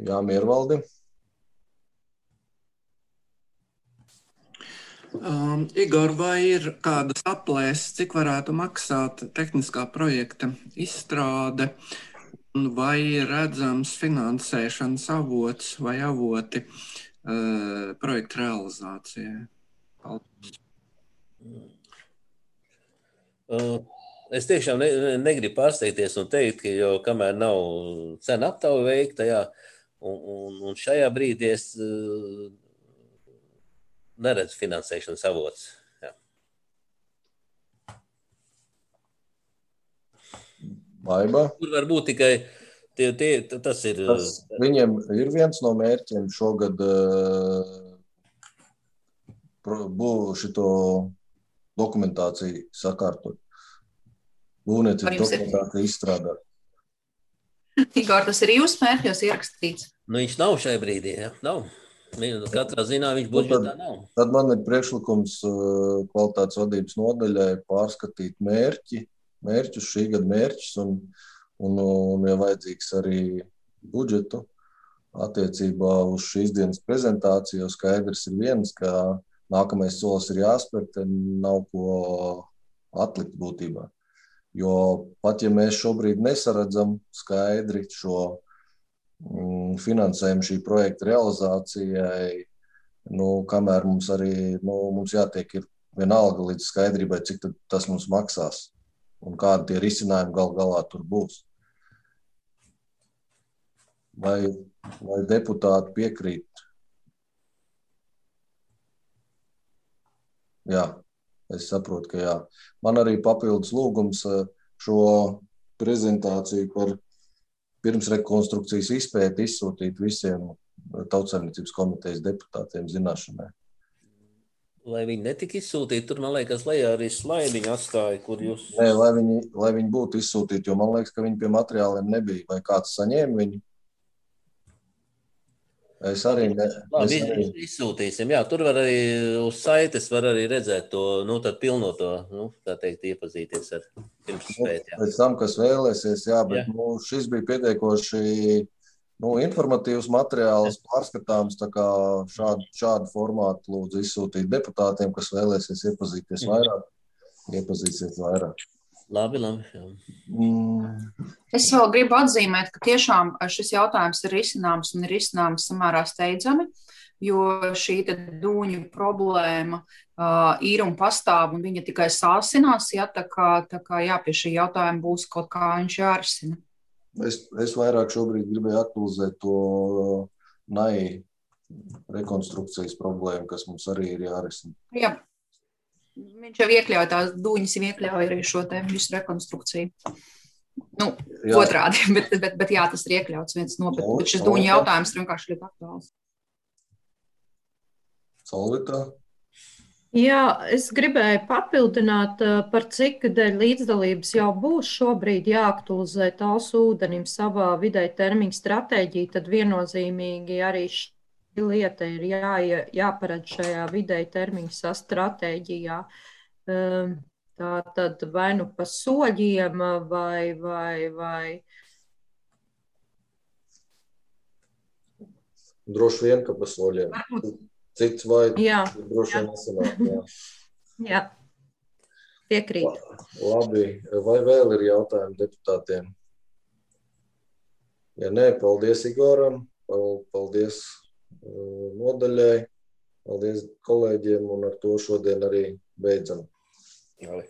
Jā, Miervaldi. Um, Igor, vai ir kādas aplēses, cik varētu maksāt tehniskā projekta izstrāde, un vai redzams finansēšanas avots vai avoti uh, projekta realizācijai? Paldies. Uh. Es tiešām ne, negribu pārsteigties un teikt, ka jau kamēr nav cena aptauja veikta, jā, un, un, un šajā brīdī es uh, neredzu finansēšanas avots. Jā. Baiba? Tur var būt tikai, tie, tie, tas ir... Tas viņiem ir viens no mērķiem šogad uh, būs šito dokumentāciju sakārtot. Būvniecības dokumentācija izstrādāt. Igor, tas ir jūsu mērķos ierakstīts? Nu, viņš nav šai brīdī, jā, nav. Katrā ziņā viņš budžetā nav. Tad man ir priekšlikums kvalitātes vadības nodaļai pārskatīt mērķi, mērķus, šī gada mērķus un, un, un ja vajadzīgs arī budžetu attiecībā uz šīs dienas prezentāciju, jo skaidrs ir viens, ka nākamais solis ir jāspēr, tad nav ko atlikt būtībā. Jo pat ja mēs šobrīd nesaredzam skaidri šo mm, finansējumu šī projekta realizācijai, nu, kamēr mums arī nu, mums jātiek ir vienalga līdz skaidrībai, cik tad tas mums maksās un kādi tie risinājumi gal galā tur būs. Vai, vai deputāti piekrīt? Jā. Es saprotu, ka jā. Man arī papildus lūgums šo prezentāciju par pirmsrekonstrukcijas izpēti izsūtīt visiem Tautsaimniecības komitejas deputātiem zināšanai. Lai viņi netika izsūtīti, tur, man liekas, lejā arī slaidiņu atstāja, kur jūs... Nē, lai viņi, lai viņi būtu izsūtīti, jo man liekas, ka viņi pie materiāliem nebija. Vai kāds saņēma viņu? Es arī ne... Labi, es arī... izsūtīsim. Jā, tur var arī uz saites var arī redzēt to, nu, tad pilnoto, nu, tā teikt, iepazīties ar pirmspēt. Jā. Pēc tam, kas vēlēsies, jā, bet jā. Nu, šis bija pietiekoši nu, informatīvs materiāls, pārskatāms, tā kā šādu, šādu formātu lūdzu izsūtīt deputātiem, kas vēlēsies iepazīties vairāk, iepazīsies vairāk. Labi, labi. Jā. Mm. Es vēl gribu atzīmēt, ka tiešām šis jautājums ir risināms un ir risināms samērā steidzami, jo šī dūņu problēma uh, ir un pastāv, un viņa tikai sāsinās, ja, tā kā, tā kā jā, pie šī jautājuma būs kaut kā viņš jārisina. Es, es vairāk šobrīd gribēju aktualizēt to N A I rekonstrukcijas problēmu, kas mums arī ir jārisina. Jā. Viņš jau iekļauj tās dūņas, jau iekļauj arī šo te visu rekonstrukciju. Nu, jā. Otrādi, bet, bet, bet jā, tas ir iekļauts viens no, bet, bet šis dūņu jautājums ir vienkārši ļoti aktuāls. Solvita? Jā, es gribēju papildināt, par cik dēļ līdzdalības jau būs šobrīd jāaktualizē Talsu ūdenim savā vidēja termiņa stratēģija, tad viennozīmīgi arī šī lieta ir jā, jāparedz šajā vidēja termiņa stratēģijā. Tā tad vai nu pa soļiem vai, vai, vai. Droši vien, ka pa soļiem. Cits vai jā, droši vien nesanāk. Jā. jā, piekrīt. Labi, vai vēl ir jautājumi deputātiem? Ja nē, paldies Igoram, paldies nodaļai. Paldies kolēģiem un ar to šodien arī beidzam. Jā.